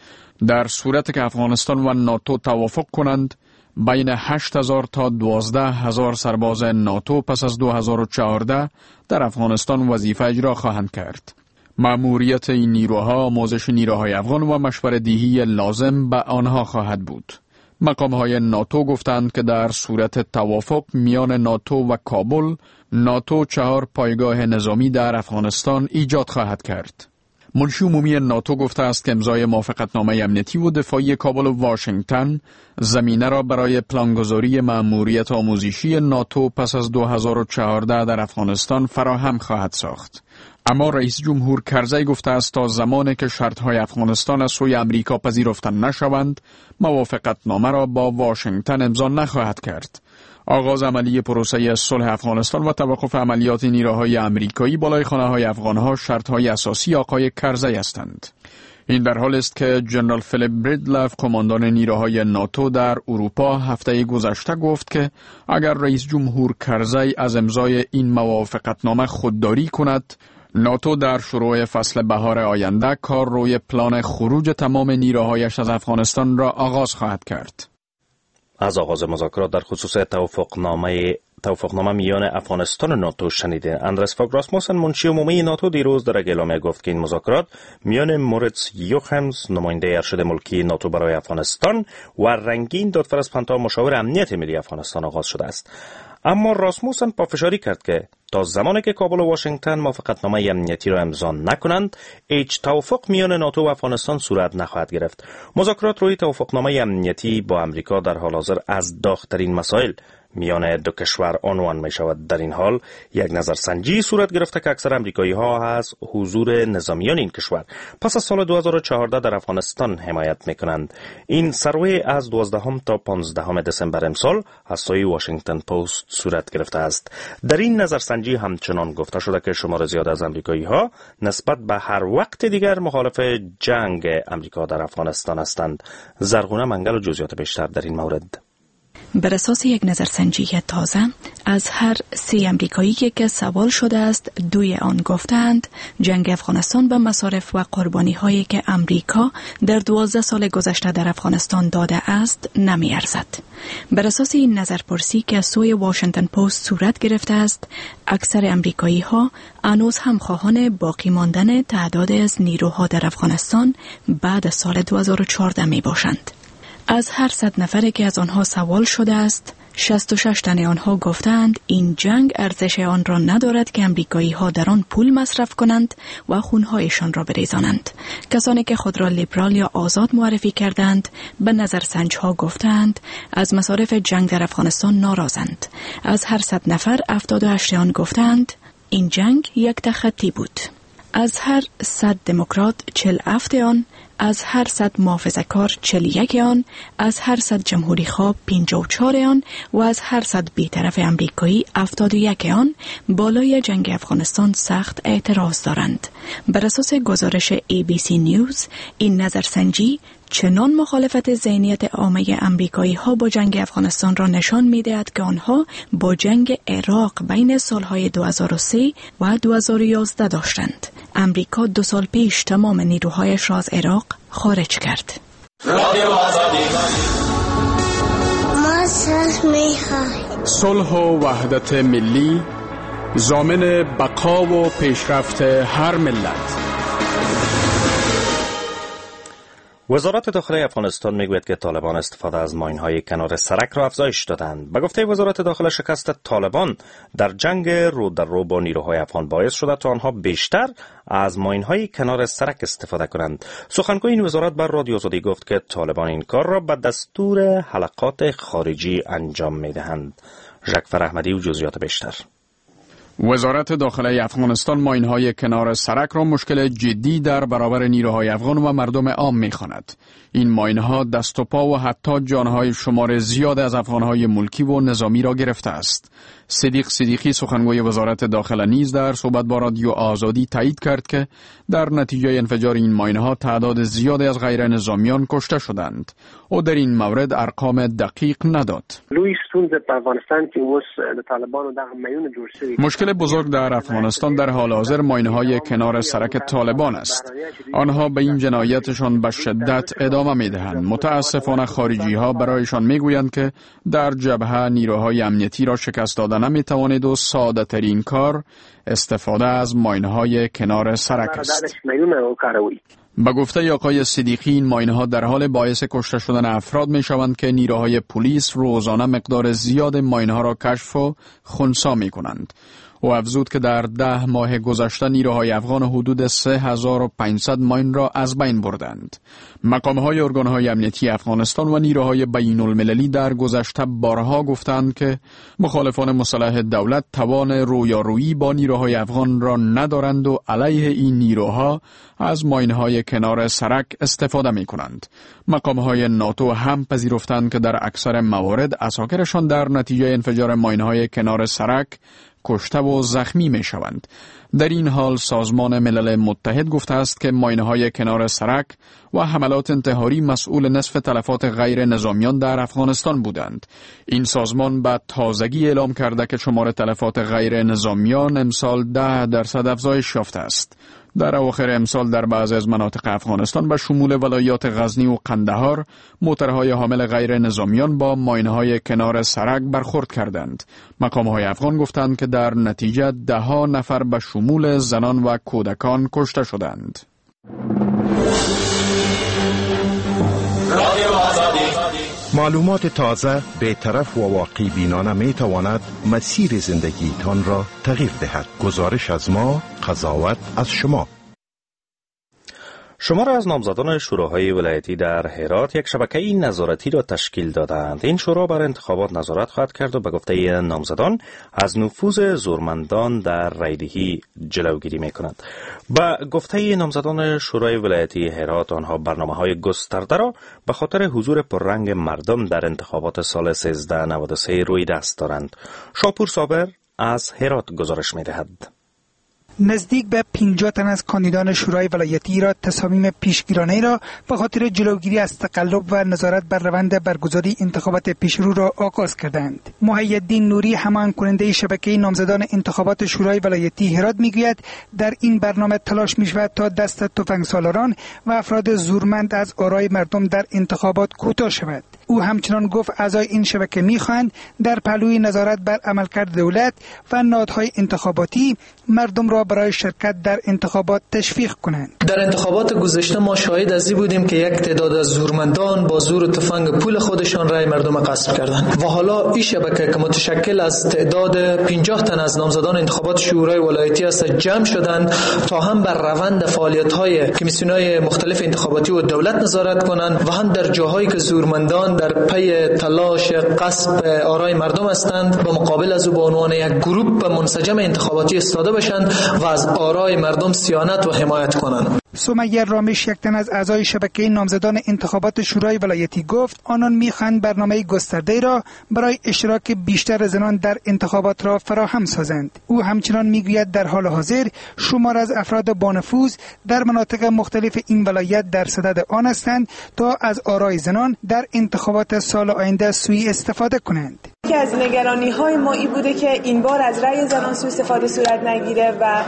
در صورت که افغانستان و ناتو توافق کنند بین هشت هزار تا دوازده هزار سرباز ناتو پس از دو هزار و چهارده در افغانستان وظیفه اجرا خواهند کرد. مأموریت این نیروها آموزش نیروهای افغان و مشوره دهی لازم به آنها خواهد بود. مقام‌های ناتو گفتند که در صورت توافق میان ناتو و کابل، ناتو چهار پایگاه نظامی در افغانستان ایجاد خواهد کرد. منشی عمومی ناتو گفته است که امضای موافقتنامه امنیتی و دفاعی کابل و واشنگتن زمینه را برای پلانگذاری مأموریت آموزشی ناتو پس از دو هزار و چهارده در افغانستان فراهم خواهد ساخت. اما رئیس جمهور کرزی گفته است تا زمانی که شرط‌های افغانستان از سوی امریکا پذیرفته نشوند، موافقتنامه را با واشنگتن امضا نخواهد کرد. آغاز عملی پروسه صلح افغانستان و توقف عملیات نیروهای امریکایی بالای خانه‌های افغانها شرط‌های اساسی آقای کرزی هستند. این در حال است که جنرال فیلیپ بریدلف قماندان نیروهای ناتو در اروپا هفته گذشته گفت که اگر رئیس جمهور کرزی از امضای این موافقتنامه خودداری کند، ناتو در شروع فصل بهار آینده کار روی پلان خروج تمام نیروهایش از افغانستان را آغاز خواهد کرد. از آغاز مذاکرات در خصوص توافقنامه توافقنامه میان افغانستان و ناتو شنیده. اندرس فاگ راسموسن منشی عمومی ناتو دیروز در یک اعلامیه گفت که این مذاکرات میان موریتس یوخمز نماینده ارشد ملکی ناتو برای افغانستان و رنگین دادفر اسپنتا مشاور امنیت ملی افغانستان آغاز شده است. اما راسموسن پافشاری کرد که تا زمانی که کابل و واشنگتن موافقتنامه امنیتی را امضا نکنند، هیچ توافق میان ناتو و افغانستان صورت نخواهد گرفت. مذاکرات روی توافقنامه امنیتی با امریکا در حال حاضر از داغ‌ترین مسائل میان دو کشور عنوان می شود. در این حال یک نظرسنجی صورت گرفته که اکثر امریکایی ها از حضور نظامیان این کشور پس از سال دو هزار و چهارده در افغانستان حمایت می کنند. این سروی از دوازدهم تا پانزدهم دسامبر امسال از سوی واشنگتن پست صورت گرفته است. در این نظرسنجی همچنان گفته شده که شمار زیاد از امریکایی ها نسبت به هر وقت دیگر مخالف جنگ امریکا در افغانستان هستند. زرغونه منگل و جزئیات بیشتر در این مورد. بر اساس یک نظرسنجی تازه از هر سه امریکایی که سوال شده است، دوی آن گفتند جنگ افغانستان به مصارف و قربانی هایی که امریکا در دوازده سال گذشته در افغانستان داده است نمی ارزد. بر اساس این نظرپرسی که از سوی واشنگتن پست صورت گرفته است، اکثر امریکایی ها هنوز هم خواهان باقی ماندن تعداد از نیروها در افغانستان بعد از سال دو هزار و چهارده می باشند. از هر صد نفری که از آنها سوال شده است، شصت و شش تن آنها گفتند این جنگ ارزش آن را ندارد که امریکایی ها در آن پول مصرف کنند و خونهایشان را بریزانند. کسانی که خود را لیبرال یا آزاد معرفی کردند به نظرسنج ها گفتند از مصارف جنگ در افغانستان ناراضند. از هر صد نفر هفتاد و هشت آن گفتند این جنگ یک تخطی بود. از هر صد دموکرات چهل و هفت آن، از هر صد محافظه‌کار چهل و یک آن، از هر صد جمهوری خواه پنجاه و چهار آن و از هر صد بیطرف امریکایی هفتاد و یک آن بالای جنگ افغانستان سخت اعتراض دارند. بر اساس گزارش ای بی سی نیوز، این نظرسنجی چنان مخالفت ذهنیت عامه امریکایی ها با جنگ افغانستان را نشان می دهد که آنها با جنگ عراق بین سالهای دو هزار و سه و دو هزار و یازده داشتند. امریکا دو سال پیش تمام نیروهایش را از عراق خارج کرد. رادیو آزادی. ما صلح میخواهیم. صلح و وحدت ملی ضامن بقا و پیشرفت هر ملت. وزارت داخله افغانستان میگوید که طالبان استفاده از ماین‌های کنار سرک را افزایش دادند. به گفته وزارت داخله شکست طالبان در جنگ رو در رو با نیروهای افغان باعث شده تا آنها بیشتر از ماین‌های کنار سرک استفاده کنند. سخنگوی این وزارت بر رادیو آزادی گفت که طالبان این کار را به دستور حلقات خارجی انجام می‌دهند. جعفر احمدی و جزئیات بیشتر. وزارت داخله افغانستان ماین‌های کنار سرک را مشکل جدی در برابر نیروهای افغان و مردم عام می‌خواند. این ماین‌ها دست و پا و حتی جانهای شمار زیاد از افغانهای ملکی و نظامی را گرفته است. صدیق صدیقی سخنگوی وزارت داخله نیز در صحبت با رادیو آزادی تایید کرد که در نتیجه انفجار این ماین‌ها تعداد زیادی از غیر نظامیان کشته شدند. او در این مورد ارقام دقیق نداد. مشکل بزرگ در افغانستان در حال حاضر ماین‌های کنار سرک طالبان است. آنها به این جنایتشان به شدت ادامه می‌دهند. متاسفانه خارجی‌ها برایشان می‌گویند که در جبهه نیروهای امنیتی را شکست داده نمی‌توانید و ساده ترین کار استفاده از ماین‌های کنار سرک است. به گفته آقای صدیقی این ماین‌ها در حال باعث کشته شدن افراد می‌شوند که نیروهای پلیس روزانه مقدار زیاد ماین‌ها را کشف و خنثی می‌کنند. او افزود که در ده ماه گذشته نیروهای افغان حدود سه هزار و پانصد ماین را از بین بردند. مقام‌های ارگان‌های امنیتی افغانستان و نیروهای بین المللی در گذشته بارها گفتند که مخالفان مسلح دولت توان رویارویی با نیروهای افغان را ندارند و علیه این نیروها از ماین‌های کنار سرک استفاده می‌کنند. مقام‌های ناتو هم پذیرفتند که در اکثر موارد عساکرشان در نتیجه انفجار ماین‌های کنار سرک کشته و زخمی می شوند. در این حال سازمان ملل متحد گفته است که ماین‌های کنار سرک و حملات انتحاری مسئول نصف تلفات غیر نظامیان در افغانستان بودند. این سازمان به تازگی اعلام کرده که شمار تلفات غیر نظامیان امسال ده درصد افزایش یافته است. در اواخر امسال در بعضی از مناطق افغانستان به شمول ولایات غزنی و قندهار موترهای حامل غیر نظامیان با ماین‌های کنار سرک برخورد کردند. مقام‌های افغان گفتند که در نتیجه ده ها نفر به شمول زنان و کودکان کشته شدند. معلومات تازه، بی‌طرف و واقع بینانه می تواند مسیر زندگیتان را تغییر دهد. گزارش از ما، قضاوت از شما. شمار از نامزدان شوراهای ولایتی در هرات یک شبکه نظارتی را تشکیل دادند. این شورا بر انتخابات نظارت خواهد کرد و به گفته نامزدان از نفوذ زورمندان در رای‌دهی جلوگیری می‌کند. به گفته نامزدان شورای ولایتی هرات آنها برنامه‌های گسترده را به خاطر حضور پررنگ مردم در انتخابات سال سیزده نود و سه روی دست دارند. شاپور صابر از هرات گزارش می‌دهد. نزدیک به پنجاه تن از کاندیدان شورای ولایتی را تصامیم پیشگیرانه را به خاطر جلوگیری از تقلب و نظارت بر روند برگزاری انتخابات پیشرو را آغاز کردند. محی‌الدین نوری هماهنگ کننده شبکه نامزدان انتخابات شورای ولایتی هرات میگوید در این برنامه تلاش میشود تا دست تفنگ سالاران و افراد زورمند از آرای مردم در انتخابات کوتاه شود. او همچنان گفت اعضای این شبکه میخواهند در پهلوی نظارت بر عملکرد دولت و نهادهای انتخاباتی مردم را برای شرکت در انتخابات تشویق کنند. در انتخابات گذشته ما شاهد از این بودیم که یک تعداد از زورمندان با زور و تفنگ پول خودشان رای مردم غصب کردند و حالا این شبکه که متشکل از تعداد پنجاه تن از نامزدان انتخابات شورای ولایتی است جمع شدند تا هم بر روند فعالیت‌های کمیسیون‌های مختلف انتخاباتی و دولت نظارت کنند و هم در جاهایی که زورمندان در پی تلاش غصب آرای مردم هستند به مقابل از او به عنوان یک گروپ منسجم انتخاباتی استاده بشند و از آرای مردم صیانت و حمایت کنند. سمیه رامش یک تن از اعضای شبکه نامزدان انتخابات شورای ولایتی گفت آنان میخواهند برنامه گسترده را برای اشتراک بیشتر زنان در انتخابات را فراهم سازند. او همچنان میگوید در حال حاضر شمار از افراد بانفوذ در مناطق مختلف این ولایت در صدد آن هستند تا از آرای زنان در انتخابات سال آینده سوء استفاده کنند. یکی از نگرانی‌های ما این بوده که این بار از رأی زنان سوء استفاده صورت نگیره و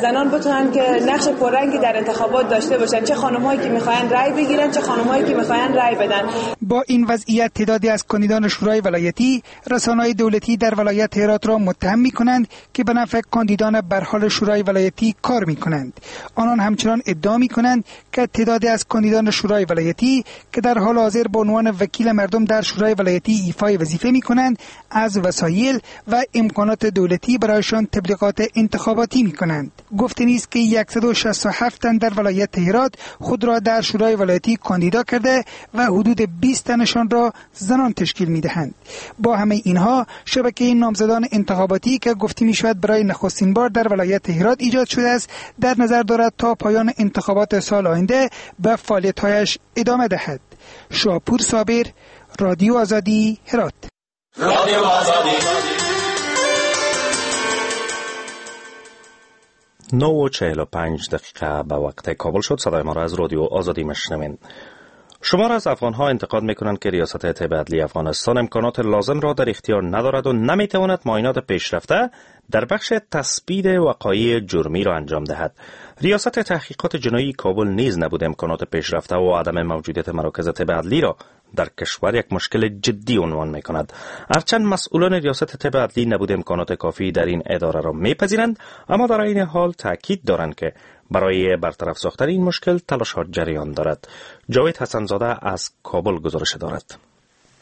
زنان بتونن که نقش پررنگی در انتخابات داشته باشن، چه خانم‌هایی که می‌خواین رأی بگیرن، چه خانم‌هایی که می‌خواین رأی بدن. با این وضعیت تعدادی از کاندیدان شورای ولایتی رسانه‌های دولتی در ولایت هرات را متهم می‌کنند که به نفع کاندیدان برحال شورای ولایتی کار می‌کنند. آنان همچنان ادعا می‌کنند که تعدادی از کاندیدان شورای ولایتی که در حال حاضر به عنوان وکیل مردم در شورای ولایتی ایفای وظیفه می‌کنند از وسایل و امکانات دولتی برایشان تبلیغات انتخاباتی می‌کنند. گفته نیست که صد و شصت و هفت تن در ولایت هرات خود را در شورای ولایتی کاندیدا کرده و حدود بیست تنشان را زنان تشکیل می‌دهند. با همه اینها شبکه نامزدان انتخاباتی که گفته می‌شود برای نخستین بار در ولایت هرات ایجاد شده است در نظر دارد تا پایان انتخابات سال آینده به فعالیت‌هایش ادامه دهد. شاپور صابر، رادیو آزادی، هرات. رادیو آزادی. نه و چهل و پنج دقیقه به وقت کابل شد. صدای ما را از رادیو آزادی مشنوین. شمار از افغانها انتقاد میکنند که ریاست طب عدلی افغانستان امکانات لازم را در اختیار ندارد و نمیتواند معاینات پیشرفته در بخش تثبیت وقایع جرمی را انجام دهد. ریاست تحقیقات جنایی کابل نیز نبود امکانات پیشرفته و عدم موجودیت مراکز طب عدلی را در کشور یک مشکل جدی عنوان میکند. هرچند مسئولان ریاست طب عدلی نبود امکانات کافی در این اداره را میپذیرند، اما در این حال تاکید دارند که برای برطرف ساختن این مشکل تلاش‌ها جریان دارد. جاوید حسن‌زاده از کابل گزارش دارد.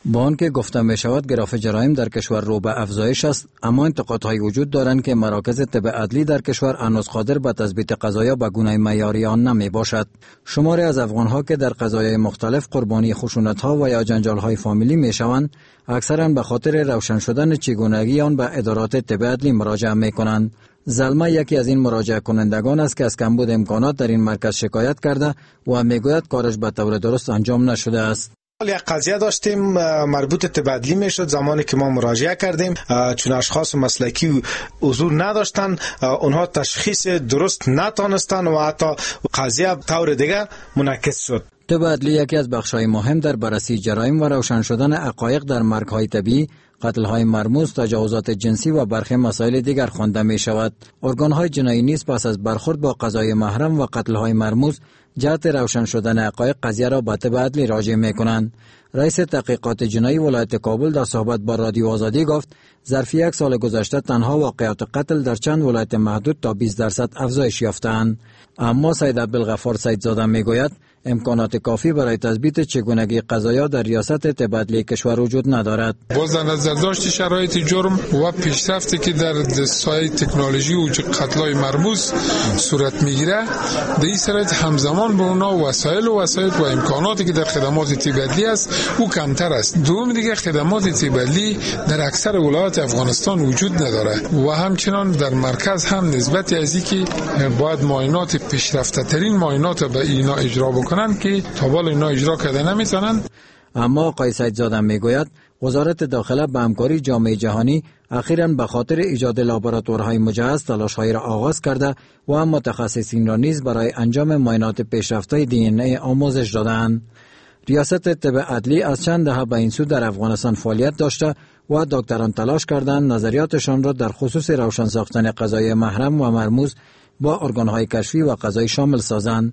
با آنکه گفته می شود گراف جرایم در کشور رو به افزایش است، اما انتقادهایی وجود دارند که مراکز طب عدلی در کشور هنوز قادر به تثبیت قضایا به گونه معیاری آن نمی باشد. شماری از افغانها که در قضایای مختلف قربانی خشونت‌ها و یا جنجال‌های فامیلی می شوند، اکثرا به خاطر روشن شدن چگونگی آن به ادارات طب عدلی مراجعه می کنند. زلمه یکی از این مراجعه کنندگان است که از کمبود امکانات در این مرکز شکایت کرده و میگوید کارش به طور درست انجام نشده است. یک قضیه داشتیم مربوط طب عدلی میشد. زمانی که ما مراجعه کردیم چون اشخاص مسلکی حضور نداشتن، اونها تشخیص درست نتانستن و حتی قضیه طور دیگه منعکس شد. طب عدلی یکی از بخش‌های مهم در بررسی جرایم و روشن شدن حقایق در مرگ‌های طبیعی، قتل‌های مرموز، تجاوزات جنسی و برخی مسائل دیگر خوانده می‌شود. ارگان‌های جنایی نیز پس از برخورد با قضای محرم و قتل‌های مرموز جهت روشن شدن حقایق قضیه را به طب عدلی راجع می‌کنند. رئیس تحقیقات جنایی ولایت کابل در صحبت با رادیو آزادی گفت ظرف یک سال گذشته تنها واقعات قتل در چند ولایت محدود تا بیست درصد افزایش یافتند. اما سید عبدالغفار سیدزاده میگوید امکانات کافی برای تثبیت چگونگی قضایا در ریاست طب عدلی کشور وجود ندارد. باز در نظر داشت شرایط جرم و پیشرفتی که در سایه تکنولوژی و قتل‌های مرموز صورت میگیره، در این شرایط همزمان به اونا وسایل و وسایل و امکاناتی که در خدمات طب عدلی است او کمتر است. دوم دیگه خدمات طب عدلی در اکثر ولایات افغانستان وجود نداره و همچنان در مرکز هم نسبت از اینکه باید معاینات پیشرفته ترین معاینات به اینا اجرا بکنن که تا حال اینا اجرا کرده نمیتونن. اما آقای سیدزاده میگوید وزارت داخله به همکاری جامعه جهانی اخیراً به خاطر ایجاد لابراتوارهای مجهز تلاش‌هایی را آغاز کرده و متخصصین را نیز برای انجام معاینات پیشرفته دی ان ای آموزش دادند. ریاست طب عدلی از چند دهه به این سو در افغانستان فعالیت داشته و دکتران تلاش کردند نظریاتشان را در خصوص روشن ساختن قضای محرم و مرموز با ارگان‌های کشفی و قضایی شامل سازند.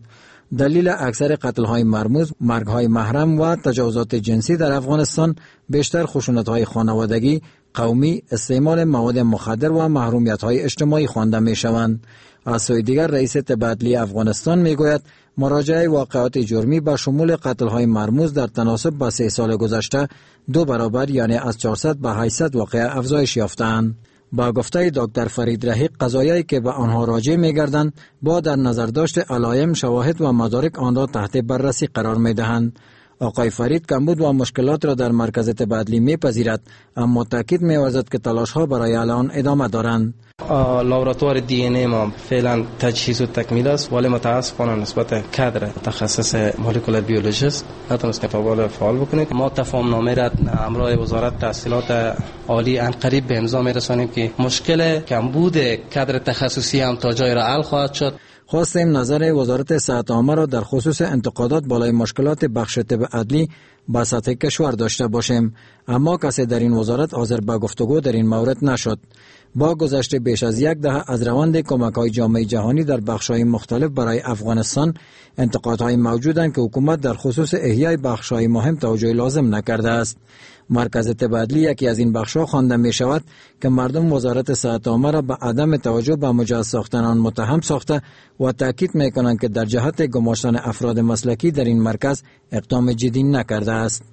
دلیل اکثر قتل‌های مرموز، مرگ‌های محرم و تجاوزات جنسی در افغانستان بیشتر خشونت‌های خانوادگی، قومی، استعمال مواد مخدر و محرومیت‌های اجتماعی خوانده می‌شوند. از سوی دیگر رئیس طب عدلی افغانستان می‌گوید مراجعه واقعات جرمی به شمول قتل‌های مرموز در تناسب با سه سال گذشته دو برابر یعنی از چهارصد به هشتصد واقعه افزایش یافتند. با گفته دکتر فرید رحیق قضایایی که به آنها راجع می‌گردند با در نظر داشت علایم، شواهد و مدارک آن را تحت بررسی قرار می‌دهند. آقای فرید کمبود و مشکلات را در مرکز طب عدلی می‌پذیرد، اما تاکید می‌ورزد که تلاش‌ها برای حل آن ادامه دارند. لابراتوار دی ان ای ما فعلا تجهیز و تکمیل است، ولی متاسفانه نسبت کادر تخصص molecular biologist نتونستیم تا فعال بکنیم. ما تفاهم نامه را همراه وزارت تحصیلات عالی ان قریب به امضا می‌رسانیم که مشکل کمبود کادر تخصصی هم تا جای را حل خواهد شد. خواستیم نظر وزارت صحت عامه را در خصوص انتقادات بالای مشکلات بخش طب عدلی به سطح کشور داشته باشیم، اما کسی در این وزارت حاضر به گفتگو در این مورد نشد. با گذشت بیش از یک دهه از روند کمک‌های جامعه جهانی در بخش‌های مختلف برای افغانستان، انتقادهای موجودند که حکومت در خصوص احیای بخش‌های مهم توجه لازم نکرده است. مرکز طب عدلی یکی از این بخش‌ها خوانده می‌شود که مردم وزارت صحت عامه را به عدم توجه به مجهز ساختن آن متهم ساخته و تاکید می‌کنند که در جهت گماشتن افراد مسلکی در این مرکز اقدام جدی نکرده است.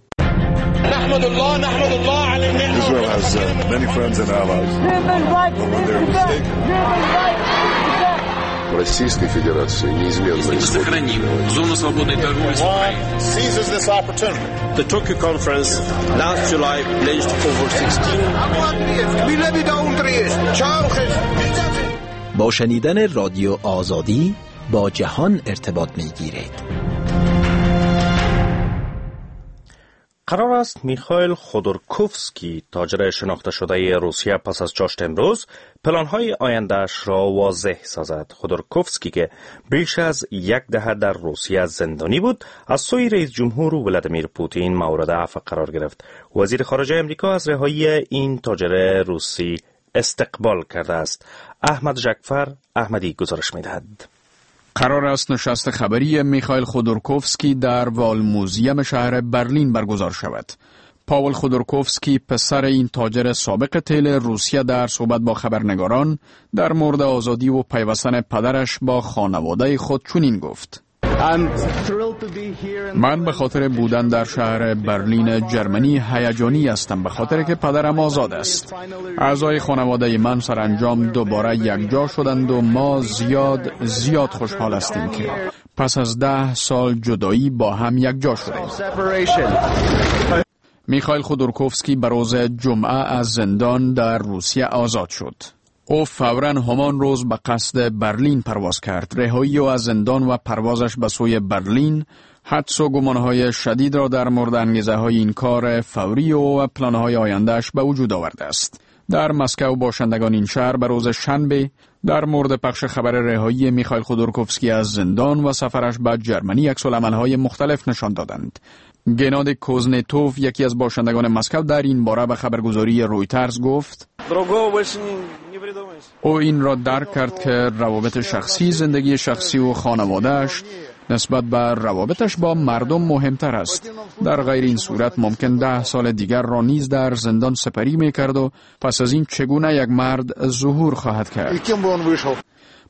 Israel has uh, many friends and allies. But when they're mistaken, Российской Федерации неизменно сохраним зону свободной торговли с Украиной. The Tokyo conference last July pledged over sixteen. با شنیدن رادیو آزادی با جهان ارتباط می‌گیرید. قرار است میخائیل خودورکوفسکی، تاجر شناخته شده روسیه، پس از چاشت امروز پلان‌های آینده‌اش را واضح سازد. خودورکوفسکی که بیش از یک دهه در روسیه زندانی بود، از سوی رئیس جمهور ولادیمیر پوتین مورد عفو قرار گرفت. وزیر خارجه امریکا از رهایی این تاجر روسی استقبال کرده است. احمد جعفر احمدی گزارش می‌دهد. قرار است نشست خبری میخائیل خودورکوفسکی در والموزیم شهر برلین برگزار شود. پاول خودورکوفسکی، پسر این تاجر سابق تیل روسیه، در صحبت با خبرنگاران در مورد آزادی و پیوستن پدرش با خانواده خود چنین گفت: من به خاطر بودن در شهر برلین جرمنی هیجانی هستم، به خاطر که پدرم آزاد است. اعضای خانواده من سرانجام دوباره یکجا شدند و ما زیاد زیاد خوشحال هستیم که پس از ده سال جدایی با هم یکجا شدیم. میخائیل خودورکوفسکی به روز جمعه از زندان در روسیه آزاد شد. او فوراً همان روز به قصد برلین پرواز کرد. رهایی او از زندان و پروازش به سوی برلین حدس و گمانهای شدید را در مورد انگیزه های این کار فوری او و پلانهای آیندهش به وجود آورده است. در مسکو باشندگان این شهر به روز شنبه در مورد پخش خبر رهایی میخائیل خودورکوفسکی از زندان و سفرش به جرمنی عکس‌العمل‌های مختلف نشان دادند. گناد کوزنتوف، یکی از باشندگان مسکو، در این باره به خبرگزاری رویترز گفت: او این را درک کرد که روابط شخصی، زندگی شخصی و خانوادهش نسبت به روابطش با مردم مهمتر است. در غیر این صورت ممکن ده سال دیگر را نیز در زندان سپری میکرد و پس از این چگونه یک مرد ظهور خواهد کرد.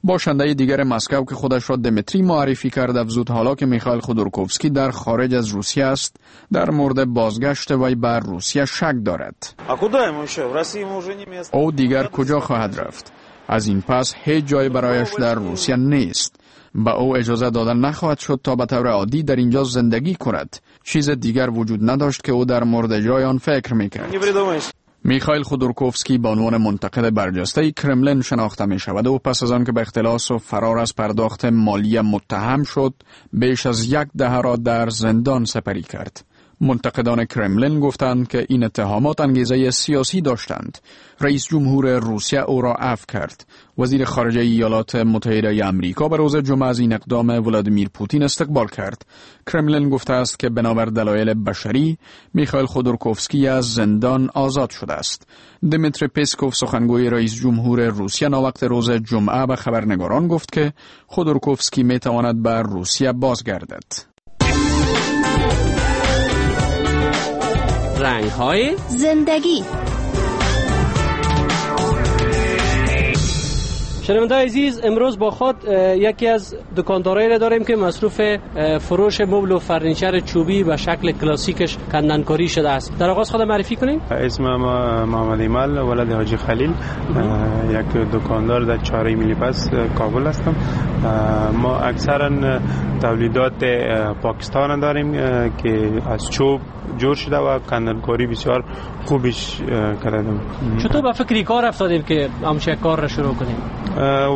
باشنده دیگر مسکو که خودش را دمیتری معرفی کرد افزود حالا که میخائیل خودورکوفسکی در خارج از روسیه است، در مورد بازگشت وی بر روسیه شک دارد. او دیگر کجا خواهد رفت؟ از این پس هیچ جای برایش در روسیه نیست. به او اجازه دادن نخواهد شد تا به طور عادی در اینجا زندگی کند. چیز دیگر وجود نداشت که او در مورد جای آن فکر میکرد. میخائیل خودورکوفسکی به عنوان منتقد برجسته کرملین شناخته می شود و پس از آن که به اختلاس و فرار از پرداخت مالی متهم شد، بیش از یک دهه را در زندان سپری کرد. منتقدان کرملین گفتند که این اتهامات انگیزه سیاسی داشتند. رئیس جمهور روسیه او را عفو کرد. وزیر خارجه ایالات متحده آمریکا به روز جمعه از این اقدام ولادیمیر پوتین استقبال کرد. کرملین گفته است که بنابر دلایل بشری میخائیل خودورکوفسکی از زندان آزاد شده است. دمیتری پسکوف، سخنگوی رئیس جمهور روسیه، ناوقت روز جمعه به خبرنگاران گفت که خودورکوفسکی میتواند به روسیه بازگردد. رنگ های زندگی. شنونده عزیز، امروز با خود یکی از دکاندارایی را داریم که مصروف فروش مبل و فرنیچر چوبی به شکل کلاسیکش کندنکاری شده است. در آغاز خود معرفی کنیم. اسم ما محمد ایمال، ولد حاجی خلیل، یک دکاندار در چهارراه ملی پس کابل هستم. ما اکثرا تولیدات پاکستان داریم که از چوب جور شده و کندنکاری بسیار خوبش کردیم. چطور به فکر کار افتادیم که همچه کار را شروع کنیم؟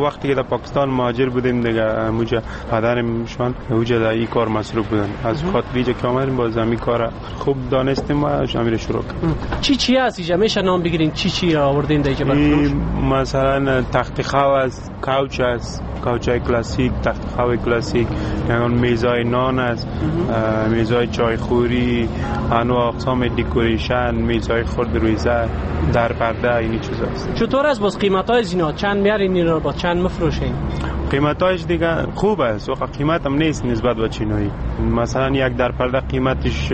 وقتی که در پاکستان مهاجر بودیم دیگه موجه پدرم شان اوجه در این کار مصروف بودن، از خاطر اینجا که آمدیم باز همین کار خوب دانستیم و همین شروع کردیم. چی چی هست اینجا؟ میشه نام بگیرین چی چی آوردین در اینجا برای فروش؟ مثلا تخت خواب است، couch است، couch های کلاسیک، تخت خواب کلاسیک، یعنی میزای نان است، میزای چایخوری، انواع اقسام decoration، میزای خرد رویزه، در پرده، این چیزا است. چطور است باز قیمت‌های اینا؟ چند میارین اینا رو با چند مفروشین؟ قیمتایش دیگه خوب است، وقت قیمت هم نیست نسبت به چینایی. مثلا یک در پرده قیمتش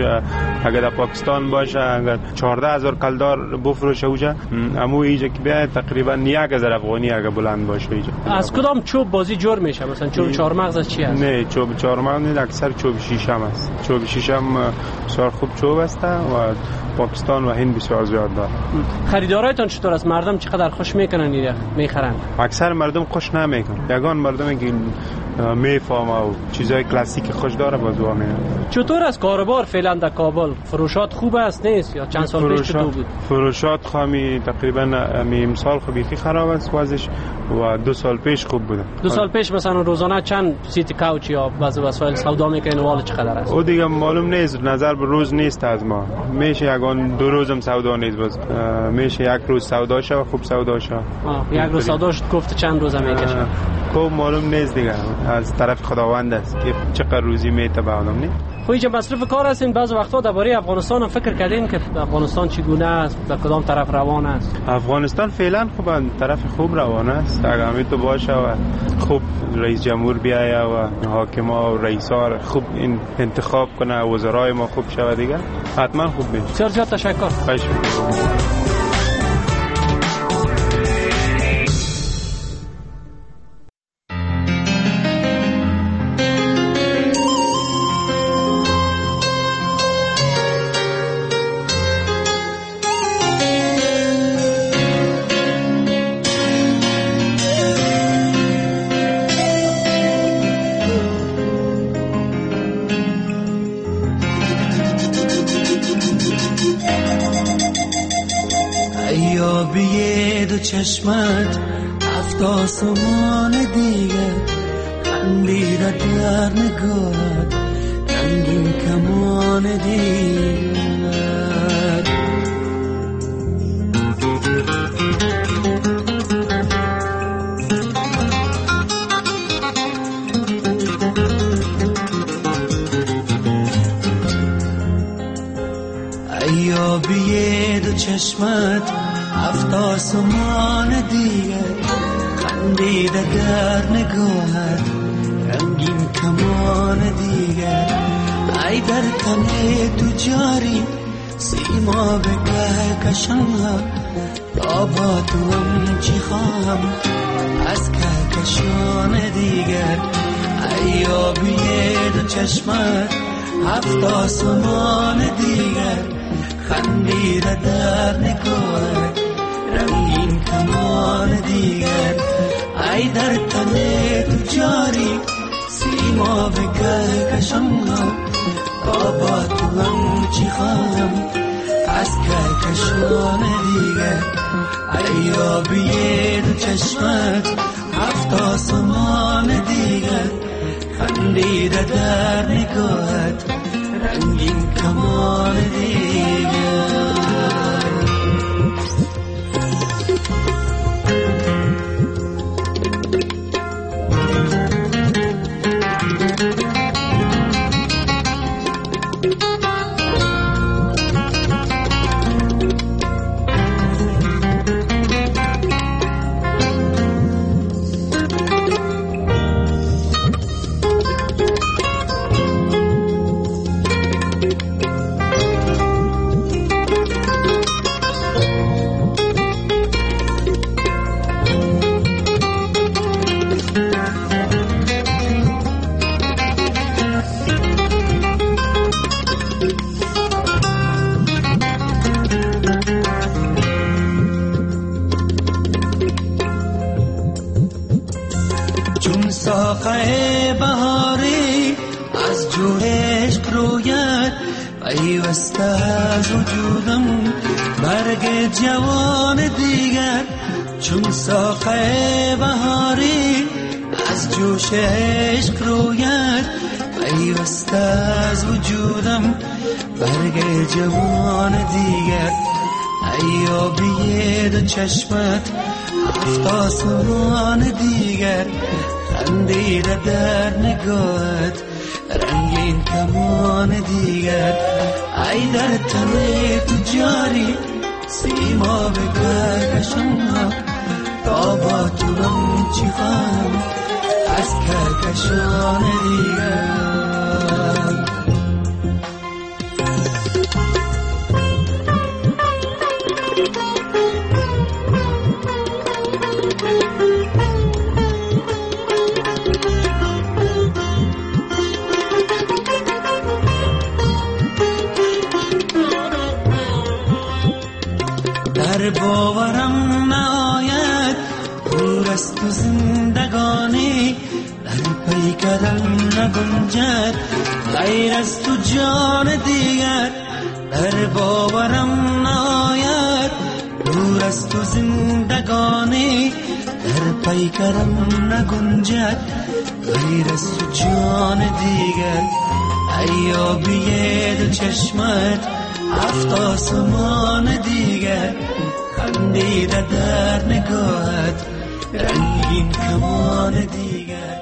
اگر در پاکستان باشه اگر چهارده هزار کلدار بفروشه اوجا، امو اینجا که بیاد تقریبا یک هزار افغانی اگر بلند باشه اینجا. از کدام چوب بازی جور میشه؟ مثلا چوب چهارمغز از چی است؟ نه چوب چهارمغز نیست، اکثر چوب شیشم است. چوب شیشم بسیار خوب چوب است و پاکستان و هند بسیار زیاد داره. خریدارایتان چطور است؟ مردم چقدر خوش میکنن اینا میخرن؟ اکثر مردم خوش نمیکنن. یگان مردم که میفهمه و چیزای کلاسیک خوش داره باز وا میاد. چطور از کاروبار فعلا در کابل؟ فروشات خوب است نیست یا چند سال پیش چطور بود؟ فروشات خامی تقریبا امسال خب بیخی خراب است وضعش و دو سال پیش خوب بوده. دو سال پیش مثلا روزانه چند seat couch یا بعض وسایل سودا میکنین و چقدر است؟ او دیگه معلوم نیست، نظر به روز نیست از ما. میشه یگان دو روزم سودا نیست، باز میشه یک روز سودا شه خوب سودا شه. یک روز سودا شد گفت چند روزه میکشه؟ خوب معلوم نیست دیگه، از طرف خداوند است که چقدر روزی میته به آدم. نه خب اینجا مصرف کار هستین، بعض وقتا درباره افغانستان هم فکر کردین که افغانستان چگونه است، به کدام طرف روان است؟ افغانستان فعلا خوب طرف خوب روان است، اگر همین تو باشه و خوب رئیس جمهور بیایه و حاکما و رئیسا خوب این انتخاب کنه، وزرای ما خوب شوه دیگه حتما خوب میشه. بسیار زیاد تشکر. خواهش می‌کنم. چشمت هفت آسمان دیگه خندیده در نگاهت رنگین کمان دیگر. ایابی دو چشمت هفت آسمان دیگر خندیده در نگاهت رنگین کمان دیگر. ای در تن تو جاری سیما به کهکشان ها، تا با تو هم چی خواهم از کهکشان دیگر. ای آبی دو چشمت هفت آسمان دیگر خندیده در نگاهت رنگین کمان دیگر. ای در تن تو جاری سیما به کهکشان ها، تا با تو هم چی خواهم از کهکشان دیگر. ای آبی دو چشمت هفت آسمان دیگر خندیده در نگاهت رنگین کمان دیگر. ساقه بهاری از جور عشق روید پیوسته از وجودم برگ جوان دیگر. چون ساقه بهاری از جوش عشق روید، پیوسته از وجودم برگ جوان دیگر. ای آبی دو چشمت هفت آسمان دیگر، خندیده در نگاهت رنگین کمان دیگر. ای در تن تو جاری سیما به کهکشان ها، تا با تو من چی خواهم از کهکشان دیگر. در باورم نآید دور از تو زندگانی، در پیکرم نگنجد غیر از تو جان دیگر. در باورم نآید دور از تو زندگانی، در پیکرم نگنجد غیر از تو جان دیگر. ای آبی دو چشمت هفت آسمان دیگر، خندیده در نگاهت رنگین کمان دیگر.